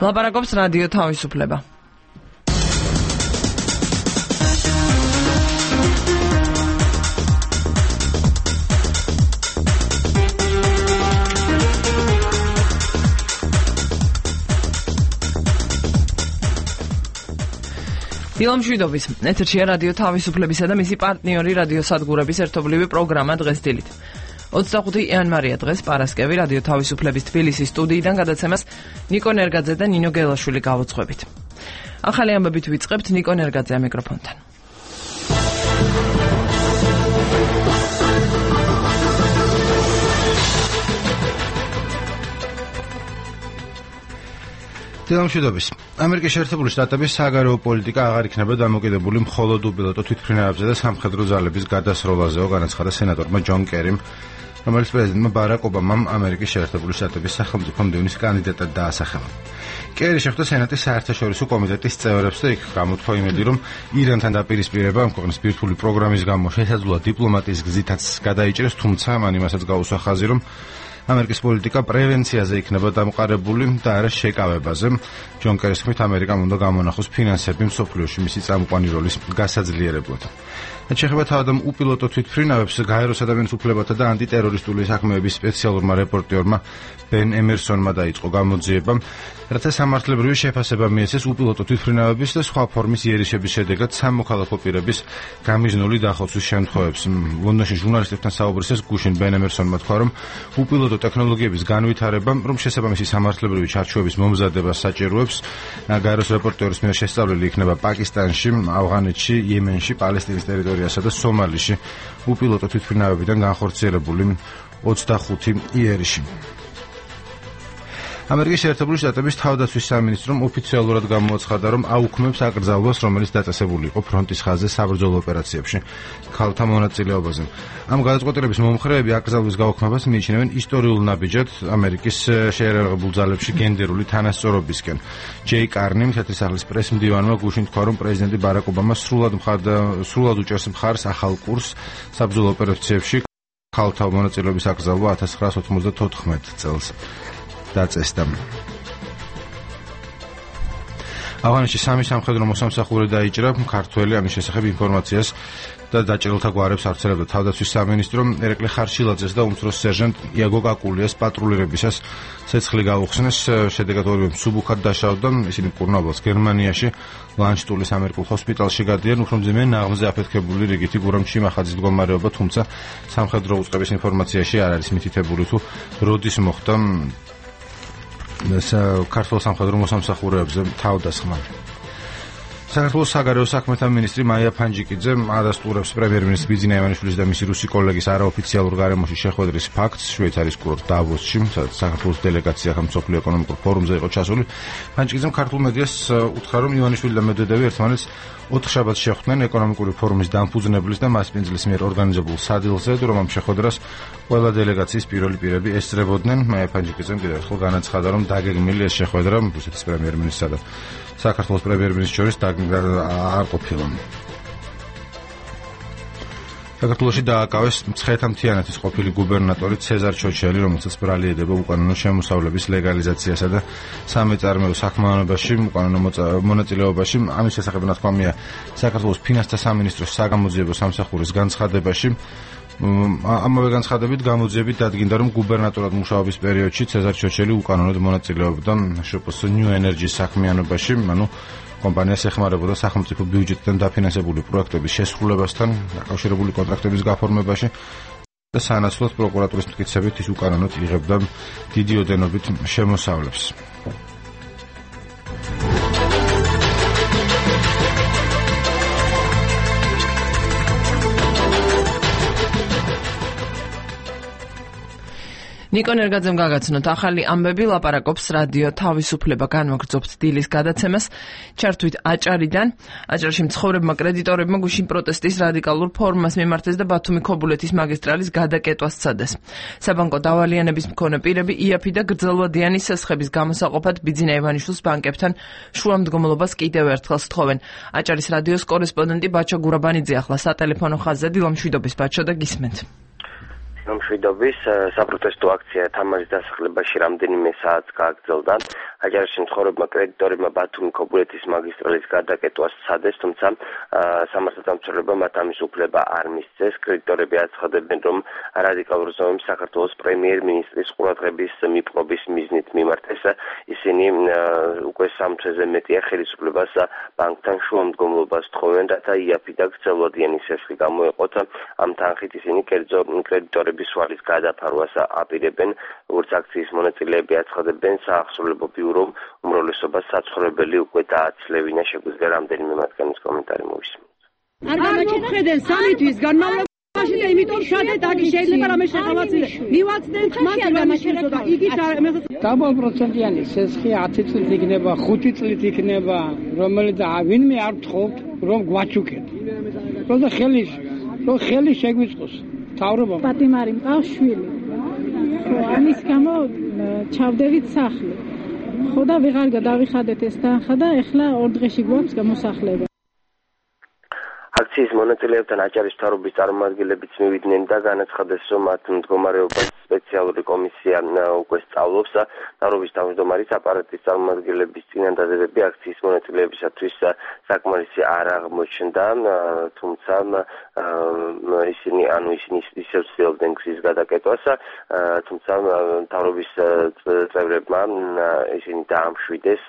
ლაპარაკობს რადიო თავისუფლება. დილამშვიდობის, ეთერშია რადიო თავისუფლებისა და მისი პარტნიორი რადიო სადგურების ერთობლივი პროგრამა დღეს დილით. 25 იანვარია დღეს პარასკევი რადიო თავისუფლების თბილისის სტუდიიდან გადაცემას ნიკო ნერგაძე და ნინო გელაშვილი გავუძღვებით. ახალი ამბებით ვიწყებთ ნიკო ნერგაძე მიკროფონთან. დილამშვიდობის. ამერიკის შეერთებული შტატების საგარეო პოლიტიკა აღარ იქნება დამოკიდებული მხოლოდ უპილოტო თვითმფრინავებზე და სამხედრო ძალების გადასროლაზეო, განაცხადა სენატორმა ჯონ კერიმ, რომელიც პრეზიდენტმა ბარაკ ობამამ ამერიკის შეერთებული შტატების სახელმწიფო მდივნის კანდიდატად დაასახელა. კერი შეხვდა სენატის საერთაშორისო კომიტეტის წევრებს და იქ გამოთქვა იმედი, რომ ირანთან დაპირისპირება ამ ქვეყნის ბირთვული პროგრამის გამო შესაძლოა დიპლომატიის გზითაც გადაიჭრეს, თუმცა მან იმასაც გაუსვა ხაზი, რომ ამერიკის პოლიტიკა პრევენციაზე იქნება დამყარებული და არა შეკავებაზე. ჯონ კერის თქმით, ამერიკამ უნდა გამონახოს ფინანსები მსოფლიოში მისი წამყვანი როლის გასაძლიერებლად. შეეხება თავადამ უპილოტო თვითმფრინავებს, გაეროს ადამიანის უფლებათა და ანტიტერორისტული საქმეების სპეციალურმა რეპორტერმა ბენ ემერსონმა დაიწყო გამოძიება, რათა სამართლებრივი შეფასება მიეცეს უპილოტო თვითმფრინავების და სხვა ფორმის იერიშების შედეგად სამოქალაქო პირების გამიზნული დახოცვის შემთხვევებს. ლონდონში ჟურნალისტებთან საუბრისას გუშინ ბენ ემერსონმა თქვა, რომ უპილოტო ტექნოლოგიების განვითარება, რომ შესაბამისი სამართლებრივი ჩარჩოების მომზადებას საჭიროებს, გაეროს რეპორტერის მიერ შესწავლილი იქნება პაკისტანში, ავღანეთში, იემენში, პალესტინის ტერიტორიასა და სომალიში უპილოტო თვითმფრინავებიდან განხორციელებული 25 იერიში. ამერიკის შეერთებული შტატების თავდაცვის სამინისტრომ ოფიციალურად გამოაცხადა, რომ აუქმებს აკრძალვას, რომელიც დაწესებული იყო ფრონტის ხაზზე საბრძოლო ოპერაციებში ქალთა მონაწილეობაზე. ამ გადაწყვეტილების მომხრეები აკრძალვის გაუქმებას მიიჩნევენ ისტორიულ ნაბიჯად ამერიკის შეიარაღებულ ძალებში გენდერული თანასწორობისკენ. ჯეი კარნი, თეთრისახლის პრესმდივანმა გუშინ თქვა, რომ პრეზიდენტი ბარაკ ობამა სრულად უჭერს მხარს ახალ კურსს საბრძოლო ოპერაციებში ქალთა მონაწილეობის აკრძალვა 1994 წელს დაწესდა. ავღანეთში სამი სამხედრო მოსამსახური დაიჭრა, ქართველი ამის შესახებ ინფორმაციას და დაჭრილთა გვარებს ავრცელებდა თავდაცვის სამინისტრო. ერეკლე ხარშილაძეს და უმცროს სერჟანტ იაგო კაკულიას პატრულირებისას ცეცხლი გაუხსნეს, შედეგად ორივე მსუბუქად დაშავდა. ისინი მკურნალობას გერმანიაში ლანშტულის ამერიკულ ჰოსპიტალში გადიან, უფრო მძიმე ნაღმზე აფეთქებული რიგითი გურამჩი მახაძის მდგომარეობა, თუმცა სამხედრო უწყების ინფორმაციაში არ არის მითითებული თუ როდის მოხდა ქართულ სამხედრო მოსამსახურეებზე თავდასხმა. საქართველოს საგარეო საქმეთა მინისტრი მაია ფანჯიკიძე ადასტურებს პრემიერ-მინისტრის ბიძინა ივანიშვილის და მისი რუსი კოლეგის არაოფიციალურ გარემოში შეხვედრის ფაქტს შვეიცარიის კურორტ დავოსში, სადაც საქართველოს დელეგაცია მსოფლიო ეკონომიკურ ფორუმზე იყო ჩასული. ფანჯიკიძემ ქართულ მედიას უთხრა, რომ ივანიშვილი და მედვედევი ერთმანეთს 4 შაბათს შეხვდნენ ეკონომიკური ფორუმის დამფუძნებლის და მასპინძლის მიერ ორგანიზებულ სადილზე, რომ ამ შეხვედრას ყველა დელეგაციის პირველი პირები ესწრებოდნენ. მაია ფანჯიკიძემ კიდევ ერთხელ განაცხადა, რომ დაგეგმილი ეს შეხვედრა რუსეთის პრემიერ-მინისტრსა და საქართველოს პრემიერ-მინისტრის შორის არ ყოფილა. საქართველოში დააკავეს მცხეთა-მთიანეთის ყოფილი გუბერნატორი ცეზარ ჩოჩელი, რომელსაც ბრალი ედება უკანონო შემოსავლების ლეგალიზაციასა და სამეწარმეო საქმიანობაში უკანონო მონაწილეობაში. ამის შესახებ ნათქვამია საქართველოს ფინანსთა სამინისტროს საგამოძიებო სამსახურის განცხადებაში. ამავე განცხადებით გამოძიებით დადგინდა, რომ გუბერნატორად მუშაობის პერიოდში ცეზარ ჩოჩელი უკანონოდ მონაწილეობდა შპს ნიუ ენერჯის საქმიანობაში, ანუ კომპანიას ეხმარებოდა სახელმწიფო ბიუჯეტიდან დაფინანსებული პროექტების შესრულებასთან დაკავშირებული კონტრაქტების გაფორმებაში და სანაცვლოდ პროკურატურის მტკიცებით ის უკანონოდ იღებდა დიდი ოდენობით შემოსავლებს. ნიკო ნერგაძემ გაგაცნოთ ახალი ამბები, ლაპარაკობს რადიო თავისუფლება, განვაგრძობთ დილის გადაცემას ჩართვით აჭარიდან. აჭარში მცხოვრებმა კრედიტორებმა გუშინ პროტესტის რადიკალურ ფორმას მიმართეს და ბათუმი-ქობულეთის მაგისტრალის გადაკეტვას სცადეს. საბანკო დავალიანების მქონე პირები იაფი და გრძელვადიანი სესხების გამოსაყოფად ბიძინა ივანიშვილის ბანკებთან შუამდგომლობას კიდევ ერთხელ სთხოვენ. აჭარის რადიოს კორესპონდენტი ბაჩო გურაბანიძე ახლა სატელეფონო ხაზზე. დილამშვიდობის ბაჩო და გისმენთ. მშვიდობის საპროტესტო აქცია თამარის დასახლებაში რამდენიმე საათს გააგრძელდა. აჭარაში მცხოვრებმა კრედიტორებმა ბათუმი ქობულეთის მაგისტრალის გადაკეტვას სცადეს, თუმცა სამართალდამცველებმა მათ ამის უფლება არ მისცეს. კრედიტორები აცხადებენ, რომ რადიკალურ ზომებს საქართველოს პრემიერ-მინისტრის ყურადღების მიპყრობის მიზნით მიმართეს. ისინი უკვე 3 თვეზე მეტია ხელისუფლებას ბანკთან შუამდგომლობას თხოვენ, რათა იაფი და გრძელვადიანი სესხი გამოეყოთ. ამ თანხით ისინი კრედიტორების სვალის გადაფარვას აპირებენ, როგორც აქციის მონაწილეები აცხადებენ, საახსრულებო ბიურომ უმრავლესობას საცხოვრებელი უკვე დააცლევინა. შეგვიძლია რამდენიმე მათგანის კომენტარი მოვისმინოთ. არ გამოჩნდნენ 3 თვის განმავლობაში და იმიტომ შადეთ აქ შეიძლება რამე შეხავაცილე. მივაცდეთ მათ რამაშენო და იგი დაბალ პროცენტიანი სესხი 10 წლით იქნება, 5 წლით იქნება, რომელიც ვინმე არ თხოვთ რომ გვაჩუქეთ. როცა ხელი შეგვიწყოს თავრობა პატიმარი მყავს შვილი. ამის გამო ჩავდებით სახლი. ხო და ვეღარ გადავიხადეთ ეს თანხა და ეხლა 2 დღეში გვაქვს გამოსახლება. აქციის მონაწილეებთან აჭარის მთავრობის წარმომადგენლებიც მივიდნენ და განაცხადეს, რომ მათ მდგომარეობას სპეციალური კომისია უკვე სწავლობს. მთავრობის თავმჯდომარის აპარატის წარმომადგენლების წინადადებები აქციის მონაწილეებისათვის საკმარისი არ აღმოჩნდა, თუმცა ისინი ისევ ცდილობდნენ გზის გადაკეტვას, თუმცა მთავრობის წევრებმა ისინი დაამშვიდეს.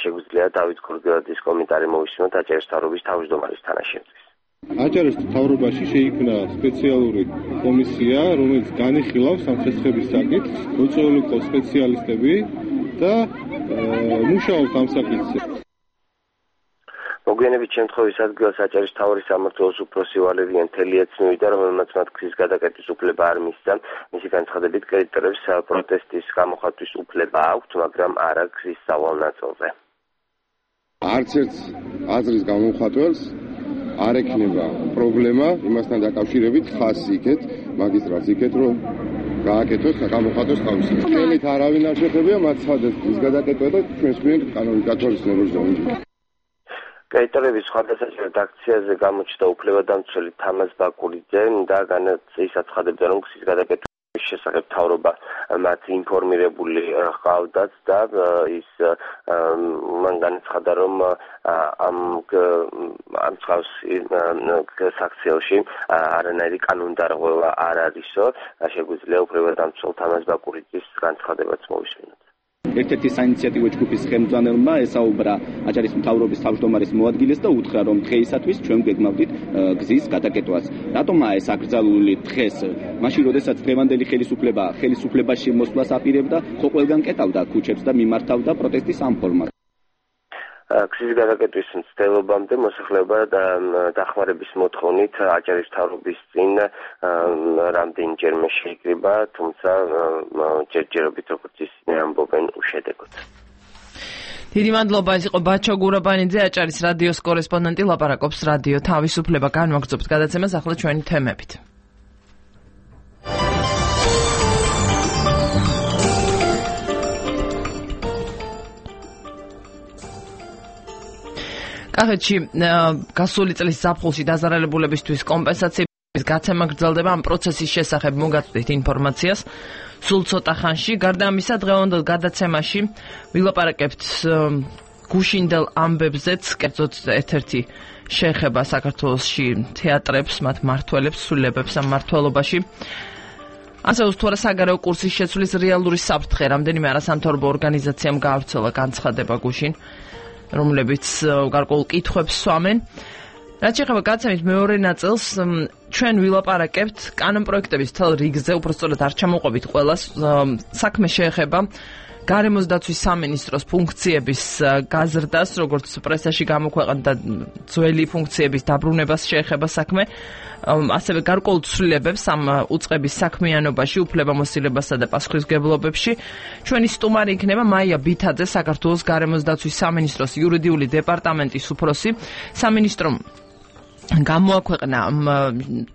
შეგვიძლია დავით ქორგელაძის კომენტარი მოვისმინოთ აჭარის მთავრობის თავმჯდომარის თანაშემწეს. აჭარის მთავრობაში შეიქმნა სპეციალური კომისია, რომელიც განიხილავს ამ სესხების საკითხს, მოწვეული ყავს სპეციალისტები და მუშაობს ამ საკითხზე. მოგვიანებით შემთხვევის ადგილას აჭარის მთავარი სამმართველოს უფროსი ვალერიან თელიაც მივიდა, რომელმაც მათ გზის გადაკეტვის უფლება არ მისცა. მისი განცხადებით, კრედიტორებს პროტესტის გამოხატვის უფლება აქვთ, მაგრამ არა გზის სავალ ნაწილზე. არც ერთ აზრის გამოხატველს არ ექნება პრობლემა იმასთან დაკავშირებით ხასი იქეთ, მაგისტრალს იქეთ, რომ გააკეთოს გამოხატოს თავისი. ხელით არავინ არ შეხებია, მათ სცადეს ის გადაკეტვა და ჩვენს გვიან კანონით გათვალისწინებელს დაუნჯა. კრედიტორების სხვადასხვა აქციაზე გამოჩნდა უფლებადამცველი თამაზ ბაკურიძე და ის აცხადებდა, რომ გზის გადაკეტვის შესახებ მთავრობა მათ ინფორმირებული ჰყავდათ და ის მან განაცხადა, რომ ამ წყავს საქციელში არანაირი კანონდარღვევა არ არისო. შეგვიძლია უფლებადამცველ თამაზ ბაკურიძის განცხადებაც მოვისმინოთ. ერთ-ერთი საინიციატივო ჯგუფის ხელმძღვანელმა ესაუბრა აჭარის მთავრობის თავმჯდომარის მოადგილეს და უთხრა, რომ დღეისათვის ჩვენ გეგმავდით გზის გადაკეტვას. რატომაა ეს აკრძალული დღეს? მაშინ, როდესაც დღევანდელი ხელისუფლებაში მოსვლას აპირებდა, ხო ყველგან კეტავდა ქუჩებს და მიმართავდა პროტესტის ამ ფორმას. გზის გადაკეტვის მცდელობამდე მოსახლეობა დახმარების მოთხოვნით აჭარის მთავრობის წინ რამდენჯერმე შეიკრიბა, თუმცა ჯერჯერობით როგორც ისინი ამბობენ უშედეგოდ. დიდი მადლობა, ეს იყო ბაჩო გურაბანიძე, აჭარის რადიოს კორესპონდენტი, ლაპარაკობს რადიო თავისუფლება. განვაგრძობთ გადაცემას ახლა ჩვენი თემებით. კახეთში გასული წლის ზაფხულში დაზარალებულებისთვის კომპენსაციების გაცემა გრძელდება. ამ პროცესის შესახებ მოგაწვდით ინფორმაციას სულ ცოტა ხანში. გარდა ამისა, დღევანდელ გადაცემაში ვილაპარაკებთ გუშინდელ ამბებზეც, კერძოდ ერთ-ერთი შეეხება საქართველოში თეატრებს, მათ მმართველებს, სულებებს ამ მმართველობაში. ასევე თუ არა საგარეო კურსის შეცვლის რეალური საფრთხე, რამდენიმე არასამთავრობო ორგანიზაციამ გაავრცელა განცხადება გუშინ, რომლებიც გარკვეულ კითხვებს სვამენ. რაც შეეხება გადაცემის მეორე ნაწილს, ჩვენ ვილაპარაკებთ კანონპროექტების მთელ რიგზე, უпростоრად არ ჩამოყვებით ყველას. საქმე შეეხება გარემოს დაცვის სამინისტროს ფუნქციების გაზრდას, როგორც პრესაში გამოქვეყნდა, ძველი ფუნქციების დაბრუნებას შეეხება საქმე. ასევე გარკვეულ ცვლილებებს ამ უწყების საქმიანობაში, უფლებამოსილებასა და პასუხისმგებლობებში. ჩვენი სტუმარი იქნება მაია ბითაძე, საქართველოს გარემოს დაცვის სამინისტროს იურიდიული დეპარტამენტის უფროსი. სამინისტრომ გამოაქვეყნა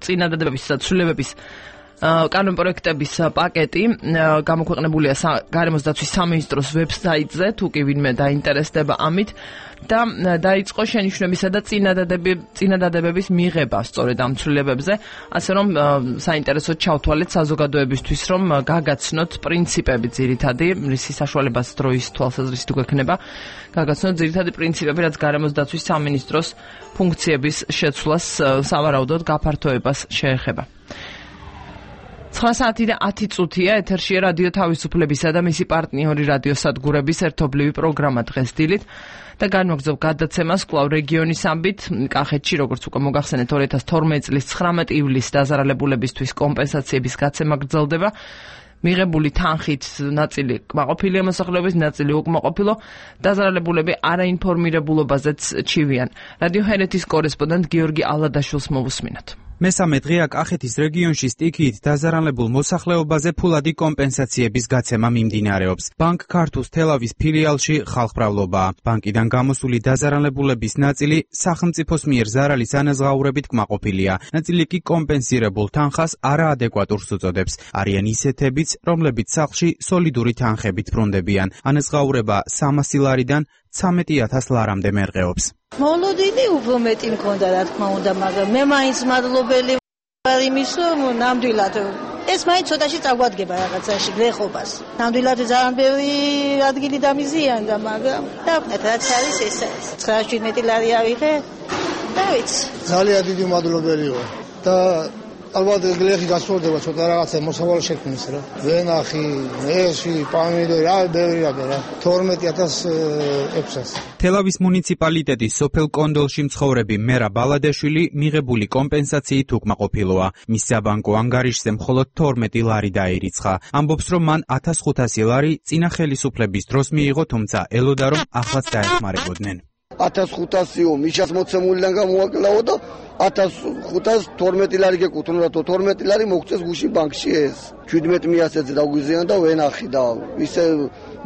წინადადებების და ცვლილებების კანონპროექტების პაკეტი გამოქვეყნებულია გარემოს დაცვის სამინისტროს ვებსაიტზე, თუ კი ვინმე დაინტერესდება ამით და დაიწყო შენიშვნებისა და წინადადებების მიღება სწორედ ამ ცვლილებებზე, ასე რომ საინტერესოდ ჩავთვალეთ საზოგადოებისთვის, რომ გაგაცნოთ პრინციპები ძირითადი, რისი საშუალებაც დროის თვალსაზრისით გვექნება, გაგაცნოთ ძირითადი პრინციპები, რაც გარემოს დაცვის სამინისტროს ფუნქციების შეცვლას, სავარაუდოდ გაფართოებას შეეხება. 9 საათი და 10 წუთია ეთერშია რადიო თავისუფლებისა და მისი პარტნიორი რადიოსადგურების ერთობლივი პროგრამა დღეს დილით და განვაგრძობ გადაცემას კვლავ რეგიონის ამბით. კახეთში, როგორც უკვე მოგახსენეთ, 2012 წლის 19 ივლისს დაზარალებულებისთვის კომპენსაციების გაცემა გრძელდება. მიღებული თანხით ნაწილი კმაყოფილია მოსახლეობის, ნაწილი უკმაყოფილო, დაზარალებულები არაინფორმირებულობაზეც ჩივიან. რადიო ჰერეთის კორესპონდენტ გიორგი ალადაშვილს მოვუსმინოთ. მესამე დღეა კახეთის რეგიონში სტიქიით დაზარალებულ მოსახლეობაზე ფულადი კომპენსაციების გაცემა მიმდინარეობს. ბანკ ქართუს თელავის ფილიალში ხალხმრავლობაა. ბანკიდან გამოსული დაზარალებულების ნაწილი სახელმწიფოს მიერ ზარალის ანაზღაურებით კმაყოფილია. ნაწილი კი კომპენსირებულ თანხას არაადეკვატურს უწოდებს. არიან ისეთებიც, რომლებიც სახლში სოლიდური თანხებით ბრუნდებიან. ანაზღაურება 300 ლარიდან 13,000 ლარამდე მერყეობს. მოლოდინი უფრო მეტი მქონდა, რა თქმა უნდა, მაგრამ მე მაინც მადლობელი ვარ იმის, რომ ნამდვილად ეს მაინც ცოტაში წაგვადგება რაღაცაში გლეხობას. ნამდვილად ძალიან ბევრი ადგილი დამიზიანდა, მაგრამ დავყნეთ, რაც არის ეს არის. 917 ლარი ავიღე და ვიცი. ძალიან დიდი მადლობელი ვარ და ალბათ გლეხი გასწორდება ცოტა რაღაცა მოსავალ შექმნის რა. ვენახი, მერში, პამიდორი, რა ბევრია რა. 12,600. თელავის მუნიციპალიტეტის სოფელ კონდოლში მცხოვრები მერა ბალადეშვილი მიღებული კომპენსაციით უკმაყოფილოა. მის საბანკო ანგარიშზე მხოლოდ 12 ლარი დაირიცხა. ამბობს, რომ მან 1500 ლარი წინა ხელისუფლების დროს მიიღო, თუმცა ელოდა, რომ ახლაც დაეხმარებოდნენ. 1500-ო მიშას მოცემულიდან გამოაკლაო და 1512 ლარი გეკუთვნა და 12 ლარი მოგწეს გუში ბანკში ეს 17 მიასედზე დაგვიზიან და ვენახი და ისე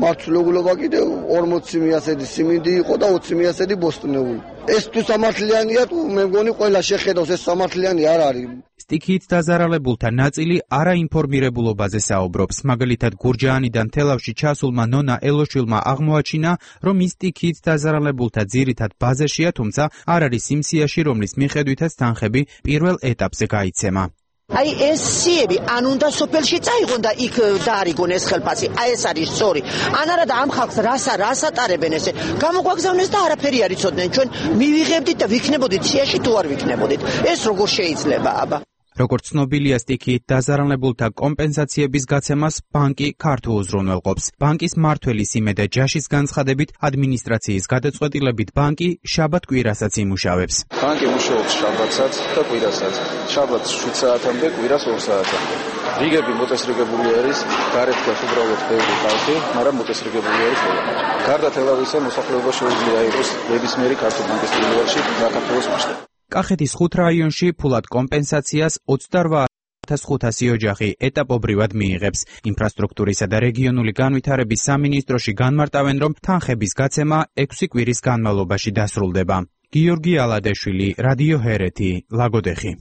მართლობულობა კიდე 40 მიასედი სიმინდი იყო და 20 მიასედი ბოსტნეული. ეს თუ სამართლიანია, თუ მე მგონი ყველა შეხედავს, ეს სამართლიანი არ არის. სტიქიით დაზარალებულთა ნაწილი არაინფორმირებულობაზე საუბრობს. მაგალითად, გურჯაანიდან თელავში ჩასულმა ნონა ელოშვილმა აღმოაჩინა, რომ ის სტიქიით დაზარალებულთა ძირითად ბაზაშია, თუმცა არ არის იმ სიაში, რომლის მიხედვითაც თანხები პირველ ეტაპზე გაიცემა. აი ეს სიები ან უნდა სოფელში წაიღონ და იქ დაარიგონ ეს ხელფასი. აი ეს არის სწორი. ან არა და ამ ხალხს რას ატარებენ ესე. გამოგვაგზავნეს და არაფერი არ იცოდნენ. ჩვენ მივიღებდით და ვიქნებოდით სიაში თუ არ ვიქნებოდით. ეს როგორ შეიძლება აბა? როგორც ცნობილია, სტიქიით დაზარალებულთა კომპენსაციების გაცემას ბანკი ქართულ უზრუნველყოფს. ბანკის მმართველის იმედე ჯაშის განცხადებით, ადმინისტრაციის გადაწყვეტილებით ბანკი შაბათ-კვირასაც იმუშავებს. ბანკი მუშაობს შაბათსაც და კვირასაც. შაბათს 7 საათამდე, კვირას 2 საათამდე. რიგები მოწესრიგებული არის, გარეთ გას უბრალოდ ბევრი ხალხი, მაგრამ მოწესრიგებული არის ყველანი. გარდა თელავისა, მოსახლეობა შეუძლია იყოს ნებისმიერი ქართულ ბანკის ფილიალში საქართველოს მასშტაბით. კახეთის 5 რაიონში ფულად კომპენსაციას 28,500 ოჯახი ეტაპობრივად მიიღებს. ინფრასტრუქტურისა და რეგიონული განვითარების სამინისტროში განმარტავენ, რომ თანხების გაცემა 6 კვირის განმავლობაში დასრულდება. გიორგი ალადეშვილი, რადიო ჰერეთი, ლაგოდეხი.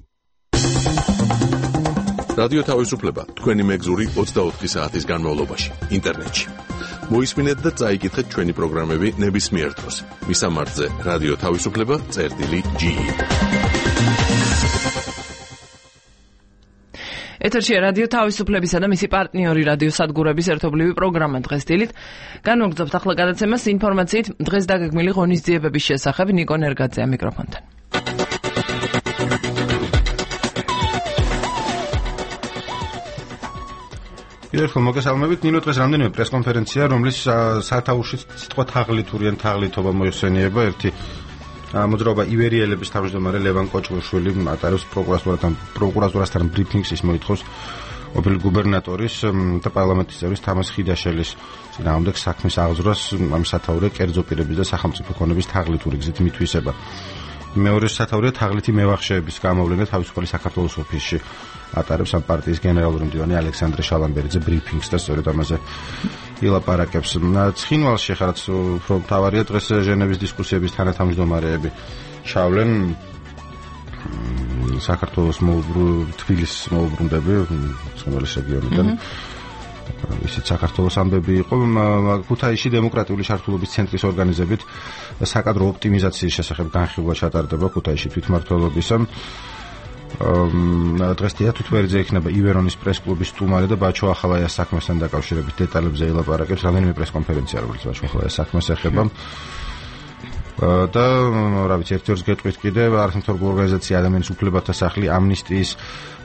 რადიო თავისუფლება თქვენი მეგზური 24 საათის განმავლობაში ინტერნეტში. მოისმინეთ და წაიკითხეთ ჩვენი პროგრამები ნებისმიერ დროს. მისამართზე რადიო თავისუფლება.ge. ეთერშია რადიო თავისუფლებისა და მისი პარტნიორი რადიოსადგურების ერთობლივი პროგრამა დღეს დილით. განვაგრძობთ ახლა გადაცემას ინფორმაციით დღეს დაგეგმილი ღონისძიებების შესახებ. ნიკო ნერგაძეა მიკროფონთან. ერთხელ მოგესალმებით. ნინო დღეს რამდენიმე პრესკონფერენცია, რომლის სათავეში სიტყვა თაღლითური ან თაღლითობა მოიხსენიება. ერთი მოძრაობა ივერიელების თავმჯდომარე ლევან კოჭმოშვილი ატარებს პროკურატურასთან ბრიფინგს, ის მოითხოვს ყოფილი გუბერნატორის და პარლამენტის წევრის თამაზ ხიდაშელის წინააღმდეგ საქმის აღძვრას ამ სათაურე კერძო პირების და სახელმწიფო ქონების თაღლითური გზით მითვისება. მეორე სათაურია თაღლითი მევახშეების გამოვლენა თავისუფალი საქართველოს ოფისში. ატარებს ამ პარტიის გენერალური მდივანი ალექსანდრე შალამბერიძე ბრიფინგს და სწორედ ამაზე ილაპარაკებს. ცხინვალში ხარაც უფრო მთავარია დღეს ჟენევის დისკუსიების თანათავმჯდომარეები ჩავლენ საქართველოს თბილისის მოუბრუნდები სომხეთის რეგიონიდან. ისიც საქართველოს ამბები იყო ქუთაისში დემოკრატიული შართულობის ცენტრის ორგანიზებით საკადრო ოპტიმიზაციის შესახებ განხილვა ჩატარდება ქუთაისში თვითმმართველობისა. დღეს თითქმის იქნება ივერონის პრესკლუბის სტუმარი და ბაჩო ახალაიას საქმესთან დაკავშირებით დეტალებზე ელაპარაკებს რამდენიმე პრესკონფერენცია, რომელიც ბაჩო ახალაიას საქმეს ეხება. და რა ვიცი, ერთ-ერთს გეტყვით კიდე არასამთავრობო ორგანიზაცია ადამიანის უფლებათა სახლი ამნისტიის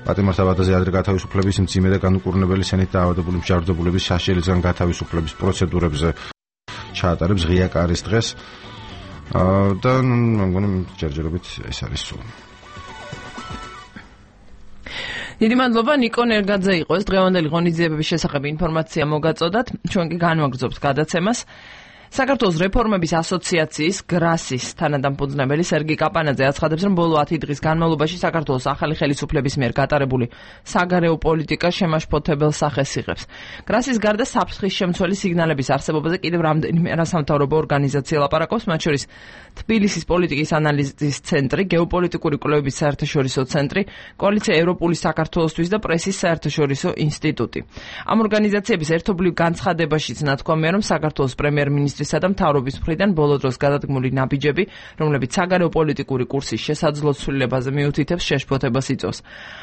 პატიმართავადაზე ადრე გათავისუფლების მძიმე და განუკურნებელი სენით დაავადებული მსჯავრდებულების საშიელებისგან გათავისუფლების პროცედურებზე ჩაატარებს ღია კარის დღეს და მგონი ჯერჯერობით ეს არის სულ. დიდი მადლობა ნიკო ნერგაძე იყო ეს დღევანდელი ღონისძიებების შესახებ ინფორმაცია მოგაწოდათ. ჩვენ კი განვაგრძობთ გადაცემას. საქართველოს რეფორმების ასოციაციის გრასის თანადამფუძნებელი სერგი კაპანაძე აცხადებს, რომ ბოლო 10 დღის განმავლობაში საქართველოს ახალი ხელისუფლების მიერ გატარებული საგარეო პოლიტიკა შემაშფოთებელ სახეს იღებს. გრასის გარდა საფრთხის შემცველი სიგნალების არსებობაზე კიდევ რამდენიმე არასამთავრობო ორგანიზაცია ლაპარაკობს, მათ შორის თბილისის პოლიტიკის ანალიზის ცენტრი, გეოპოლიტიკური კვლევების საერთაშორისო ცენტრი, კოალიცია ევროპული საქართველოსთვის და პრესის საერთაშორისო ინსტიტუტი. ამ ორგანიზაციების ერთობლივ განცხადებაშიც ნათქვამია, რომ საქართველოს პრემიერ-მინისტრ და მთავრობის მხრიდან ბოლო დროს გადადგმული ნაბიჯები, რომლებიც საგარეო პოლიტიკური კურსის შესაძლო ცვლილებაზე მიუთითებს შეშფოთებას იწვევს.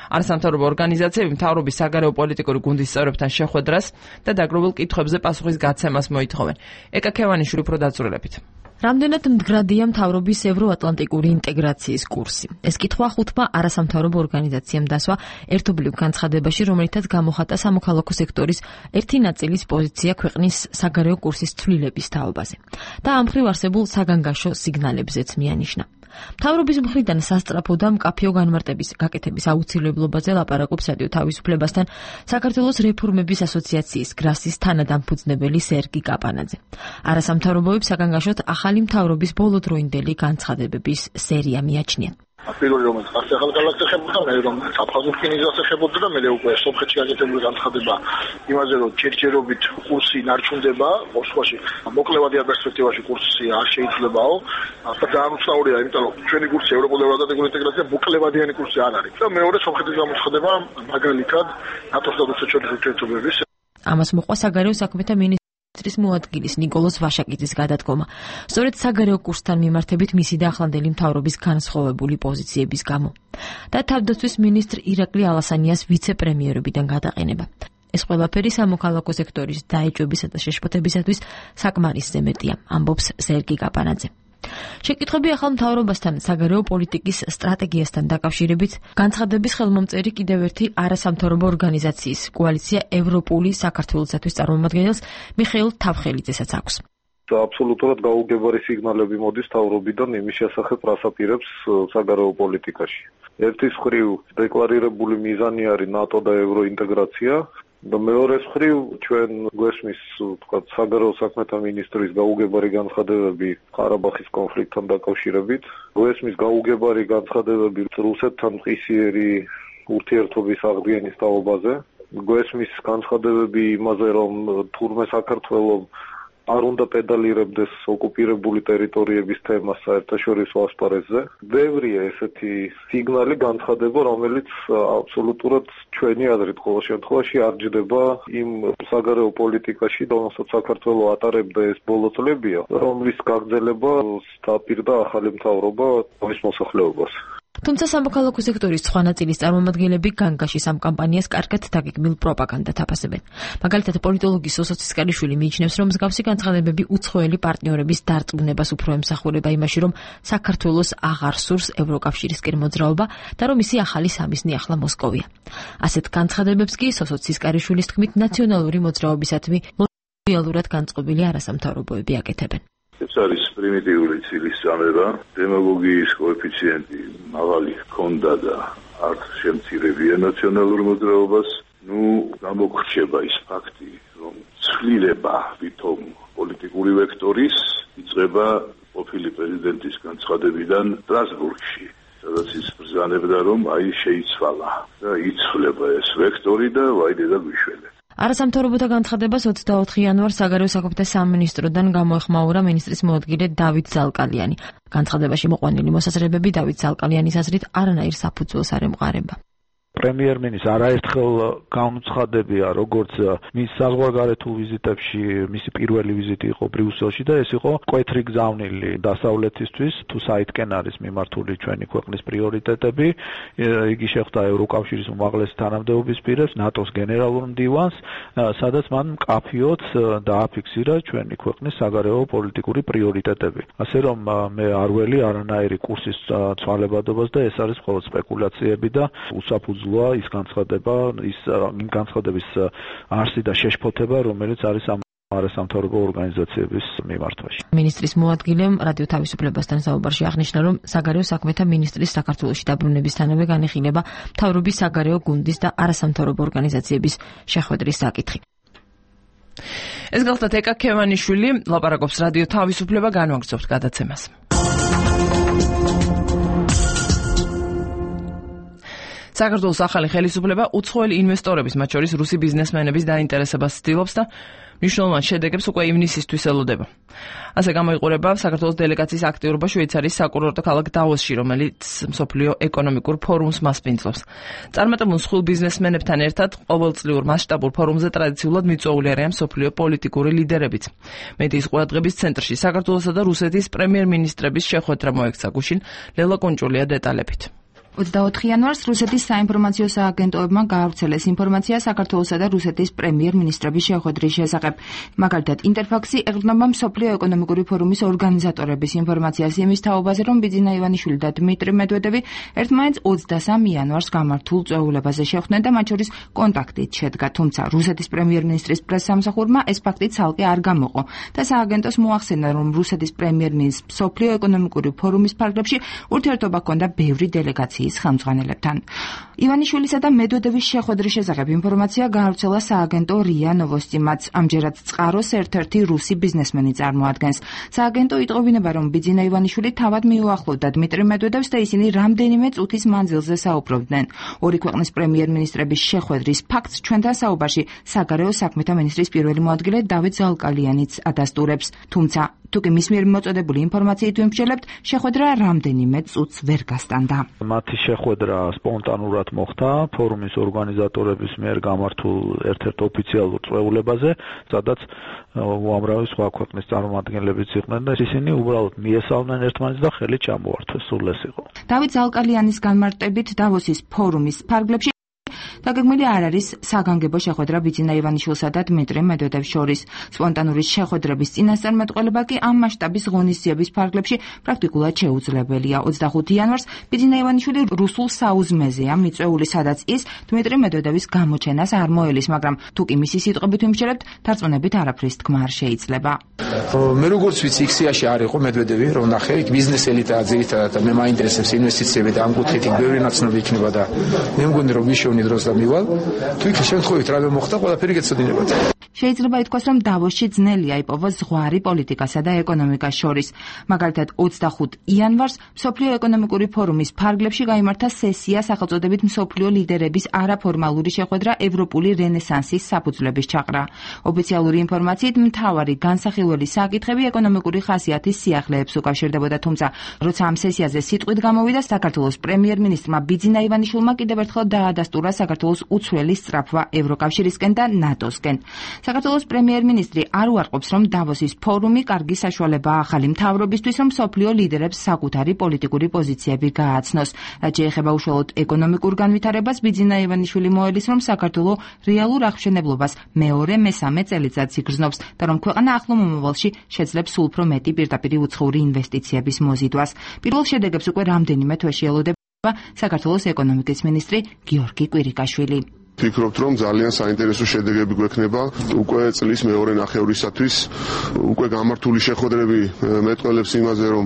არასამთავრობო ორგანიზაციები მთავრობის საგარეო პოლიტიკური გუნდის წევრებთან შეხვედრას და დაგროვილ კითხვებზე პასუხის გაცემას მოითხოვენ. ეკა ქევანიშვილი უფრო დაწვრილებით. რამდენად მდგრადია მთავრობის ევროატლანტიკური ინტეგრაციის კურსი? ეს კითხვა ხუთმა არასამთავრობო ორგანიზაციამ დასვა ერთობლივ განცხადებაში, რომელითაც გამოხატა სამოქალაქო სექტორის ერთი ნაწილის პოზიცია ქვეყნის საგარეო კურსის ცვლილების თაობაზე და ამ მხრივ არსებულ საგანგაშო სიგნალებზეც მიანიშნა. მთავრობის მხრიდან სასწრაფო და მკაფიო განმარტების გაკეთების აუცილებლობაზე ლაპარაკობს რადიო თავისუფლებასთან საქართველოს რეფორმების ასოციაციის გრასის თანადამფუძნებელი სერგი კაპანაძე. არასამთავრობოებს საგანგაშოდ ახალი მთავრობის ბოლოდროინდელი განცხადებების სერია მიაჩნია. პირველი რომელიც ახალგაზრდას ეხებოდა, მე რომ საფხაზო რკინიგზას ეხებოდა და მე უკვე სომხეთში გაკეთებული განცხადება იმაზე, რომ ჯერჯერობით კურსი ნარჩუნდება, მოსკოვში მოკლევადიან პერსპექტივაში კურსი არ შეიძლებაო. და ძალიან უცნაურია, იმიტომ რომ ჩვენი კურსი ევროპულ-ევროატლანტიკური ინტეგრაცია მოკლევადიანი კურსი არ არის. და მეორე სომხეთის გამოცხადება მაგალითად ნატოს და რუსეთის ურთიერთობების. ამას მოყვა საგარეო საქმეთა მინისტრის მოადგილის ნიკოლოზ ვაშაკიძის გადადგომა. სწორედ საგარეო კურსთან მიმართებით მისი და ახლანდელი მთავრობის განსხვავებული პოზიციების გამო. და თავდაცვის მინისტრ ირაკლი ალასანიას ვიცე-პრემიერობიდან გადაყენება. ეს ყველაფერი სამოქალაქო სექტორის დაეჭვებისა და შეშფოთებისათვის საკმარისზე მეტია, ამბობს სერგი კაპანაძე. შეკითხვები ახალ მთავრობასთან საგარეო პოლიტიკის სტრატეგიასთან დაკავშირებით განცხადების ხელმომწერი კიდევ ერთი არასამთავრობო ორგანიზაციის კოალიცია ევროპული საქართველოსთვის წარმომადგენელს მიხეილ თავხელიძესაც აქვს. აბსოლუტურად გაუგებარი სიგნალები მოდის მთავრობიდან იმის შესახებ, რას აპირებს საგარეო პოლიტიკაში. ერთის მხრივ დეკლარირებული მიზანი არის ნატო და ევროინტეგრაცია. და მეორეს მხრივ ჩვენ გვესმის თქვათ საგარეო საქმეთა მინისტრის გაუგებარი განცხადებები ყარაბაღის კონფლიქტთან დაკავშირებით, გვესმის გაუგებარი განცხადებები რუსეთთან მყისიერი ურთიერთობის აღდგენის თაობაზე, გვესმის განცხადებები იმაზე, რომ თურმე საქართველოს არ უნდა პედალირებდეს ოკუპირებული ტერიტორიების თემას საერთაშორისო ასპარეზზე. ბევრია ესეთი სიგნალი, განცხადება, რომელიც აბსოლუტურად ჩვენი აზრით ყოველ შემთხვევაში არ ჯდება იმ საგარეო პოლიტიკაში, რომელსაც საქართველოს ატარებდა ეს ბოლო წლებია, რომლის გაგრძელება დაპირდა ახალი მთავრობა თავის მოსახლეობას. თუმცა სამოქალაქო სექტორის სხვა ნაწილის წარმომადგენლები განგაშის ამ კამპანიას კარგად დაგეგმილ პროპაგანდად აფასებენ. მაგალითად, პოლიტოლოგი სოსო ცისკარიშვილი მიიჩნევს, რომ მსგავსი განცხადებები უცხოელი პარტნიორების დარწმუნებას უფრო ემსახურება იმაში, რომ საქართველოს აღარ სურს ევროკავშირისკენ მოძრაობა და რომ ისი ახალი სამიზნე ახლა მოსკოვია. ასეთ განცხადებებს კი სოსო ცისკარიშვილის თქმით ნაციონალური მოძრაობისადმი ლოიალურად განწყობილი არასამთავრობოები აკეთებენ. ეს არის პრიმიტიული ცილის წამება, დემაგოგიის კოეფიციენტი მაღალი ჰქონდა და არც შემცირებია ნაციონალურ მოძრაობას. გამოგრჩება ის ფაქტი, რომ ცვლილება ვითომ პოლიტიკური ვექტორის იწყება ყოფილი პრეზიდენტის განცხადებიდან სტრასბურგში, სადაც ის ბრძანებდა, რომ შეიცვალა და იცვლება ეს ვექტორი და ვაიდე და გვიშველე. არასამთავრობოთა განცხადებას 24 იანვარს საგარეო საქმეთა სამინისტროდან გამოეხმაურა მინისტრის მოადგილე დავით ზალკალიანი. განცხადებაში მოყვანილი მოსაზრებები დავით ზალკალიანის აზრით არანაირ საფუძველს არ ემყარება. პრემიერ-მინისტრს არაერთხელ განუცხადებია, როგორც მის საზღვარგარეთულ ვიზიტებში, მისი პირველი ვიზიტი იყო ბრიუსელში და ეს იყო მკვეთრი გზავნილი დასავლეთისთვის, თუ საითკენ არის მიმართული ჩვენი ქვეყნის პრიორიტეტები. იგი შეხვდა ევროკავშირის უმაღლეს თანამდებობის პირებს, ნატოს გენერალურ მდივანს, სადაც მან მკაფიოდ დააფიქსირა ჩვენი ქვეყნის საგარეო პოლიტიკური პრიორიტეტები. ასე რომ მე არ ველი არანაირი კურსის ცვალებადობას და ეს არის მხოლოდ სპეკულაციები და უსაფუძვლოა ის განცხადება, იმ განცხადების არსი და შეშფოთება, რომელიც არის ამ არასამთავრობო ორგანიზაციების მიმართვაში. მინისტრის მოადგილემ რადიო თავისუფლებასთან საუბარში აღნიშნა, რომ საგარეო საქმეთა მინისტრის საქართველოში დაბრუნებისთანავე განიხილება მთავრობის საგარეო გუნდის და არასამთავრობო ორგანიზაციების შეხვედრის საკითხი. ეს გახლდათ ეკა ქევანიშვილი, ლაპარაკობს რადიო თავისუფლება, განვაგრძობთ გადაცემას. საქართველოს ახალი ხელისუფლება უცხოელი ინვესტორების, მათ შორის რუსი ბიზნესმენების დაინტერესებას ცდილობს და მნიშვნელოვან შედეგებს უკვე ივნისისთვის ელოდება. ასე გამოიყურება საქართველოს დელეგაციის აქტიურობა შვეიცარიის საკურორტო ქალაქ დავოსში, რომელიც მსოფლიო ეკონომიკურ ფორუმს მასპინძლობს. წარმატებულ მსხვილ ბიზნესმენებთან ერთად ყოველწლიურ მასშტაბურ ფორუმზე ტრადიციულად მიწვეული არიან მსოფლიო პოლიტიკური ლიდერებიც. მედიის ყურადღების ცენტრში საქართველოსა და რუსეთის პრემიერ-მინისტრების შეხვედრა მოექცა. გუშინ ლელა კონჭულია დეტალებით. 24 იანვარს რუსეთის საინფორმაციო სააგენტოებმა გაავრცელეს ინფორმაცია საქართველოსა და რუსეთის პრემიერ-მინისტრების შეხვედრის შესახებ. მაგალითად, ინტერფაქსი ეყრდნობა მსოფლიო ეკონომიკური ფორუმის ორგანიზატორების ინფორმაციას იმის თაობაზე, რომ ბიძინა ივანიშვილი და დმიტრი მედვედევი ერთმანეთს 23 იანვარს გამართულ წვეულებაზე შეხვდნენ და მათ შორის კონტაქტით შედგა. თუმცა რუსეთის პრემიერ-მინისტრის პრესსამსახურმა ეს ფაქტი ცალკე არ გამოყო და სააგენტოს მოახსენა, რომ რუსეთის პრემიერ-მინისტრს მსოფლიო ეკონომიკური ფორუმის ფარგლებში ურთიერთობა ჰქონდა ბევრი დელეგაციის ხელმძღვანელებთან. ივანიშვილისა და მედვედევის შეხვედრის შესახებ ინფორმაცია გაავრცელა სააგენტო რია ნოვოსტიმაც. ამჯერად წყაროს ერთ-ერთი რუსი ბიზნესმენი წარმოადგენს. სააგენტო იტყობინება, რომ ბიძინა ივანიშვილი თავად მიუახლოვდა დმიტრი მედვედევს და ისინი რამდენიმე წუთის მანძილზე საუბრობდნენ. ორი ქვეყნის პრემიერ-მინისტრების შეხვედრის ფაქტს ჩვენთან საუბარში საგარეო საქმეთა მინისტრის პირველი მოადგილე დავით ზალკალიანიც ადასტურებს. თუმცა თუკი მის მიერ მოწოდებული ინფორმაციით ვიმსჯელებთ, შეხვედრა რამდენიმე წუთს ვერ გასტანდა. მათი შეხვედრა სპონტანურად მოხდა ფორუმის ორგანიზატორების მიერ გამართულ ერთ-ერთ ოფიციალურ წვეულებაზე, სადაც უამრავი სხვა ქვეყნის წარმომადგენლებიც იყვნენ და ისინი უბრალოდ მიესალმნენ ერთმანეთს და ხელი ჩამოართვეს. სულ ეს იყო. დავით ზალკალიანის განმარტებით დავოსის ფორუმის ფარგლებში დაგეგმილი არ არის საგანგებო შეხვედრა ბიძინა ივანიშვილსა და დმიტრი მედვედევს შორის. სპონტანური შეხვედრების წინასწარმეტყველება კი ამ მასშტაბის ღონისძიების ფარგლებში პრაქტიკულად შეუძლებელია. 25 იანვარს ბიძინა ივანიშვილი რუსულ საუზმეზეა მიწვეული, სადაც ის დმიტრი მედვედევის გამოჩენას არ მოელის, მაგრამ თუკი მისი სიტყვებით ვიმსჯელებთ, დარწმუნებით არაფრის თქმა არ შეიძლება. მე როგორც ვიცი, იქ-სიაში არ იყო მედვედევი, რომ ნახე, იქ ბიზნეს ელიტა ძირითადად მე მაინტერესებს ინვესტიციები და ამ კუთხით ბევრი ნაცნობი იქნება და მე მგონი რომ ვიშოვნი დროს მივალ, თუ იქ შემთხვევით რამე მოხდა, ყველაფერი გეცოდინებათ. შეიძლება ითქვას, რომ დავოსში ძნელია იპოვოს ზღვარი პოლიტიკასა და ეკონომიკას შორის. მაგალითად, 25 იანვარს მსოფლიო ეკონომიკური ფორუმის ფარგლებში გაიმართა სესია სახელწოდებით მსოფლიო ლიდერების არაფორმალური შეხვედრა ევროპული რენესანსის საფუძვლების ჩაყრა. ოფიციალური ინფორმაციით მთავარი განსახილველი საკითხები ეკონომიკური ხასიათის სიახლეებს უკავშირდებოდა, თუმცა როცა ამ სესიაზე სიტყვით გამოვიდა, საქართველოს პრემიერ-მინისტრმა ბიძინა ივანიშვილმა კიდევ ერთხელ დაადასტურა საქართველოს უცვლელი სწრაფვა ევროკავშირისკენ და ნატოსკენ. საქართველოს პრემიერ-მინისტრი არ უარყოფს, რომ დავოსის ფორუმი კარგი საშუალებაა ახალი მთავრობისთვის, რომ მსოფლიო ლიდერებს საკუთარი პოლიტიკური პოზიციები გააცნოს. რაც შეეხება უშუალოდ ეკონომიკურ განვითარებას, ბიძინა ივანიშვილი მოელის, რომ საქართველო რეალურ აღმშენებლობას მეორე-მესამე წელიწადს იგრძნობს და რომ ქვეყანა ახლო მომავალში შეძლებს სულ უფრო მეტი პირდაპირი უცხოური ინვესტიციების მოზიდვას. პირველ შედეგებს უკვე რამდენიმე თვეში ელოდება საქართველოს ეკონომიკის მინისტრი გიორგი კვირიკაშვილი. ვფიქრობთ, რომ ძალიან საინტერესო შედეგები გვექნება უკვე წლის მეორე ნახევრისათვის. უკვე გამართული შეხვედრები მეტყველებს იმაზე, რომ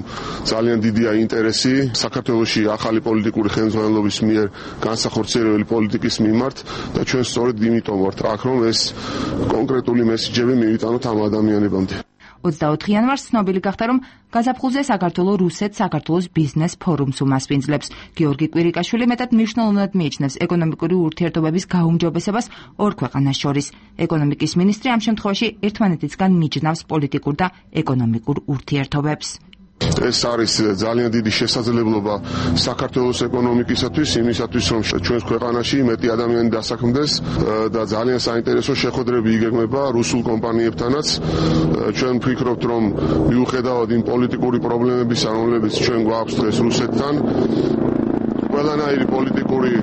ძალიან დიდია ინტერესი საქართველოში ახალი პოლიტიკური ხელმძღვანელობის მიერ განსახორციელებელი პოლიტიკის მიმართ და ჩვენ სწორედ იმიტომ ვართ აქ, რომ ეს კონკრეტული მესიჯები მივიტანოთ ამ ადამიანებამდე. 24 იანვარს ცნობილი გახდა, რომ გაზაფხულზე საქართველოს რუსეთ-საქართველოს ბიზნეს ფორუმს უმასპინძლებს. გიორგი კვირიკაშვილი მეტად მნიშვნელოვნად მიიჩნევს ეკონომიკური ურთიერთობების გაუმჯობესებას ორ ქვეყანას შორის. ეკონომიკის მინისტრი ამ შემთხვევაში ერთმანეთისგან მიჯნავს პოლიტიკურ და ეკონომიკურ ურთიერთობებს. ეს არის ძალიან დიდი შესაძლებლობა საქართველოს ეკონომიკისათვის, იმისათვის რომ ჩვენს ქვეყანაში მეტი ადამიანი დასაქმდეს და ძალიან საინტერესო შეხვედრები იგეგმება რუსულ კომპანიებთანაც. ჩვენ ვფიქრობთ, რომ მიუხედავად იმ პოლიტიკური პრობლემებისა, რომლებიც ჩვენ გვაქვს დღეს რუსეთთან, ყველანაირი პოლიტიკური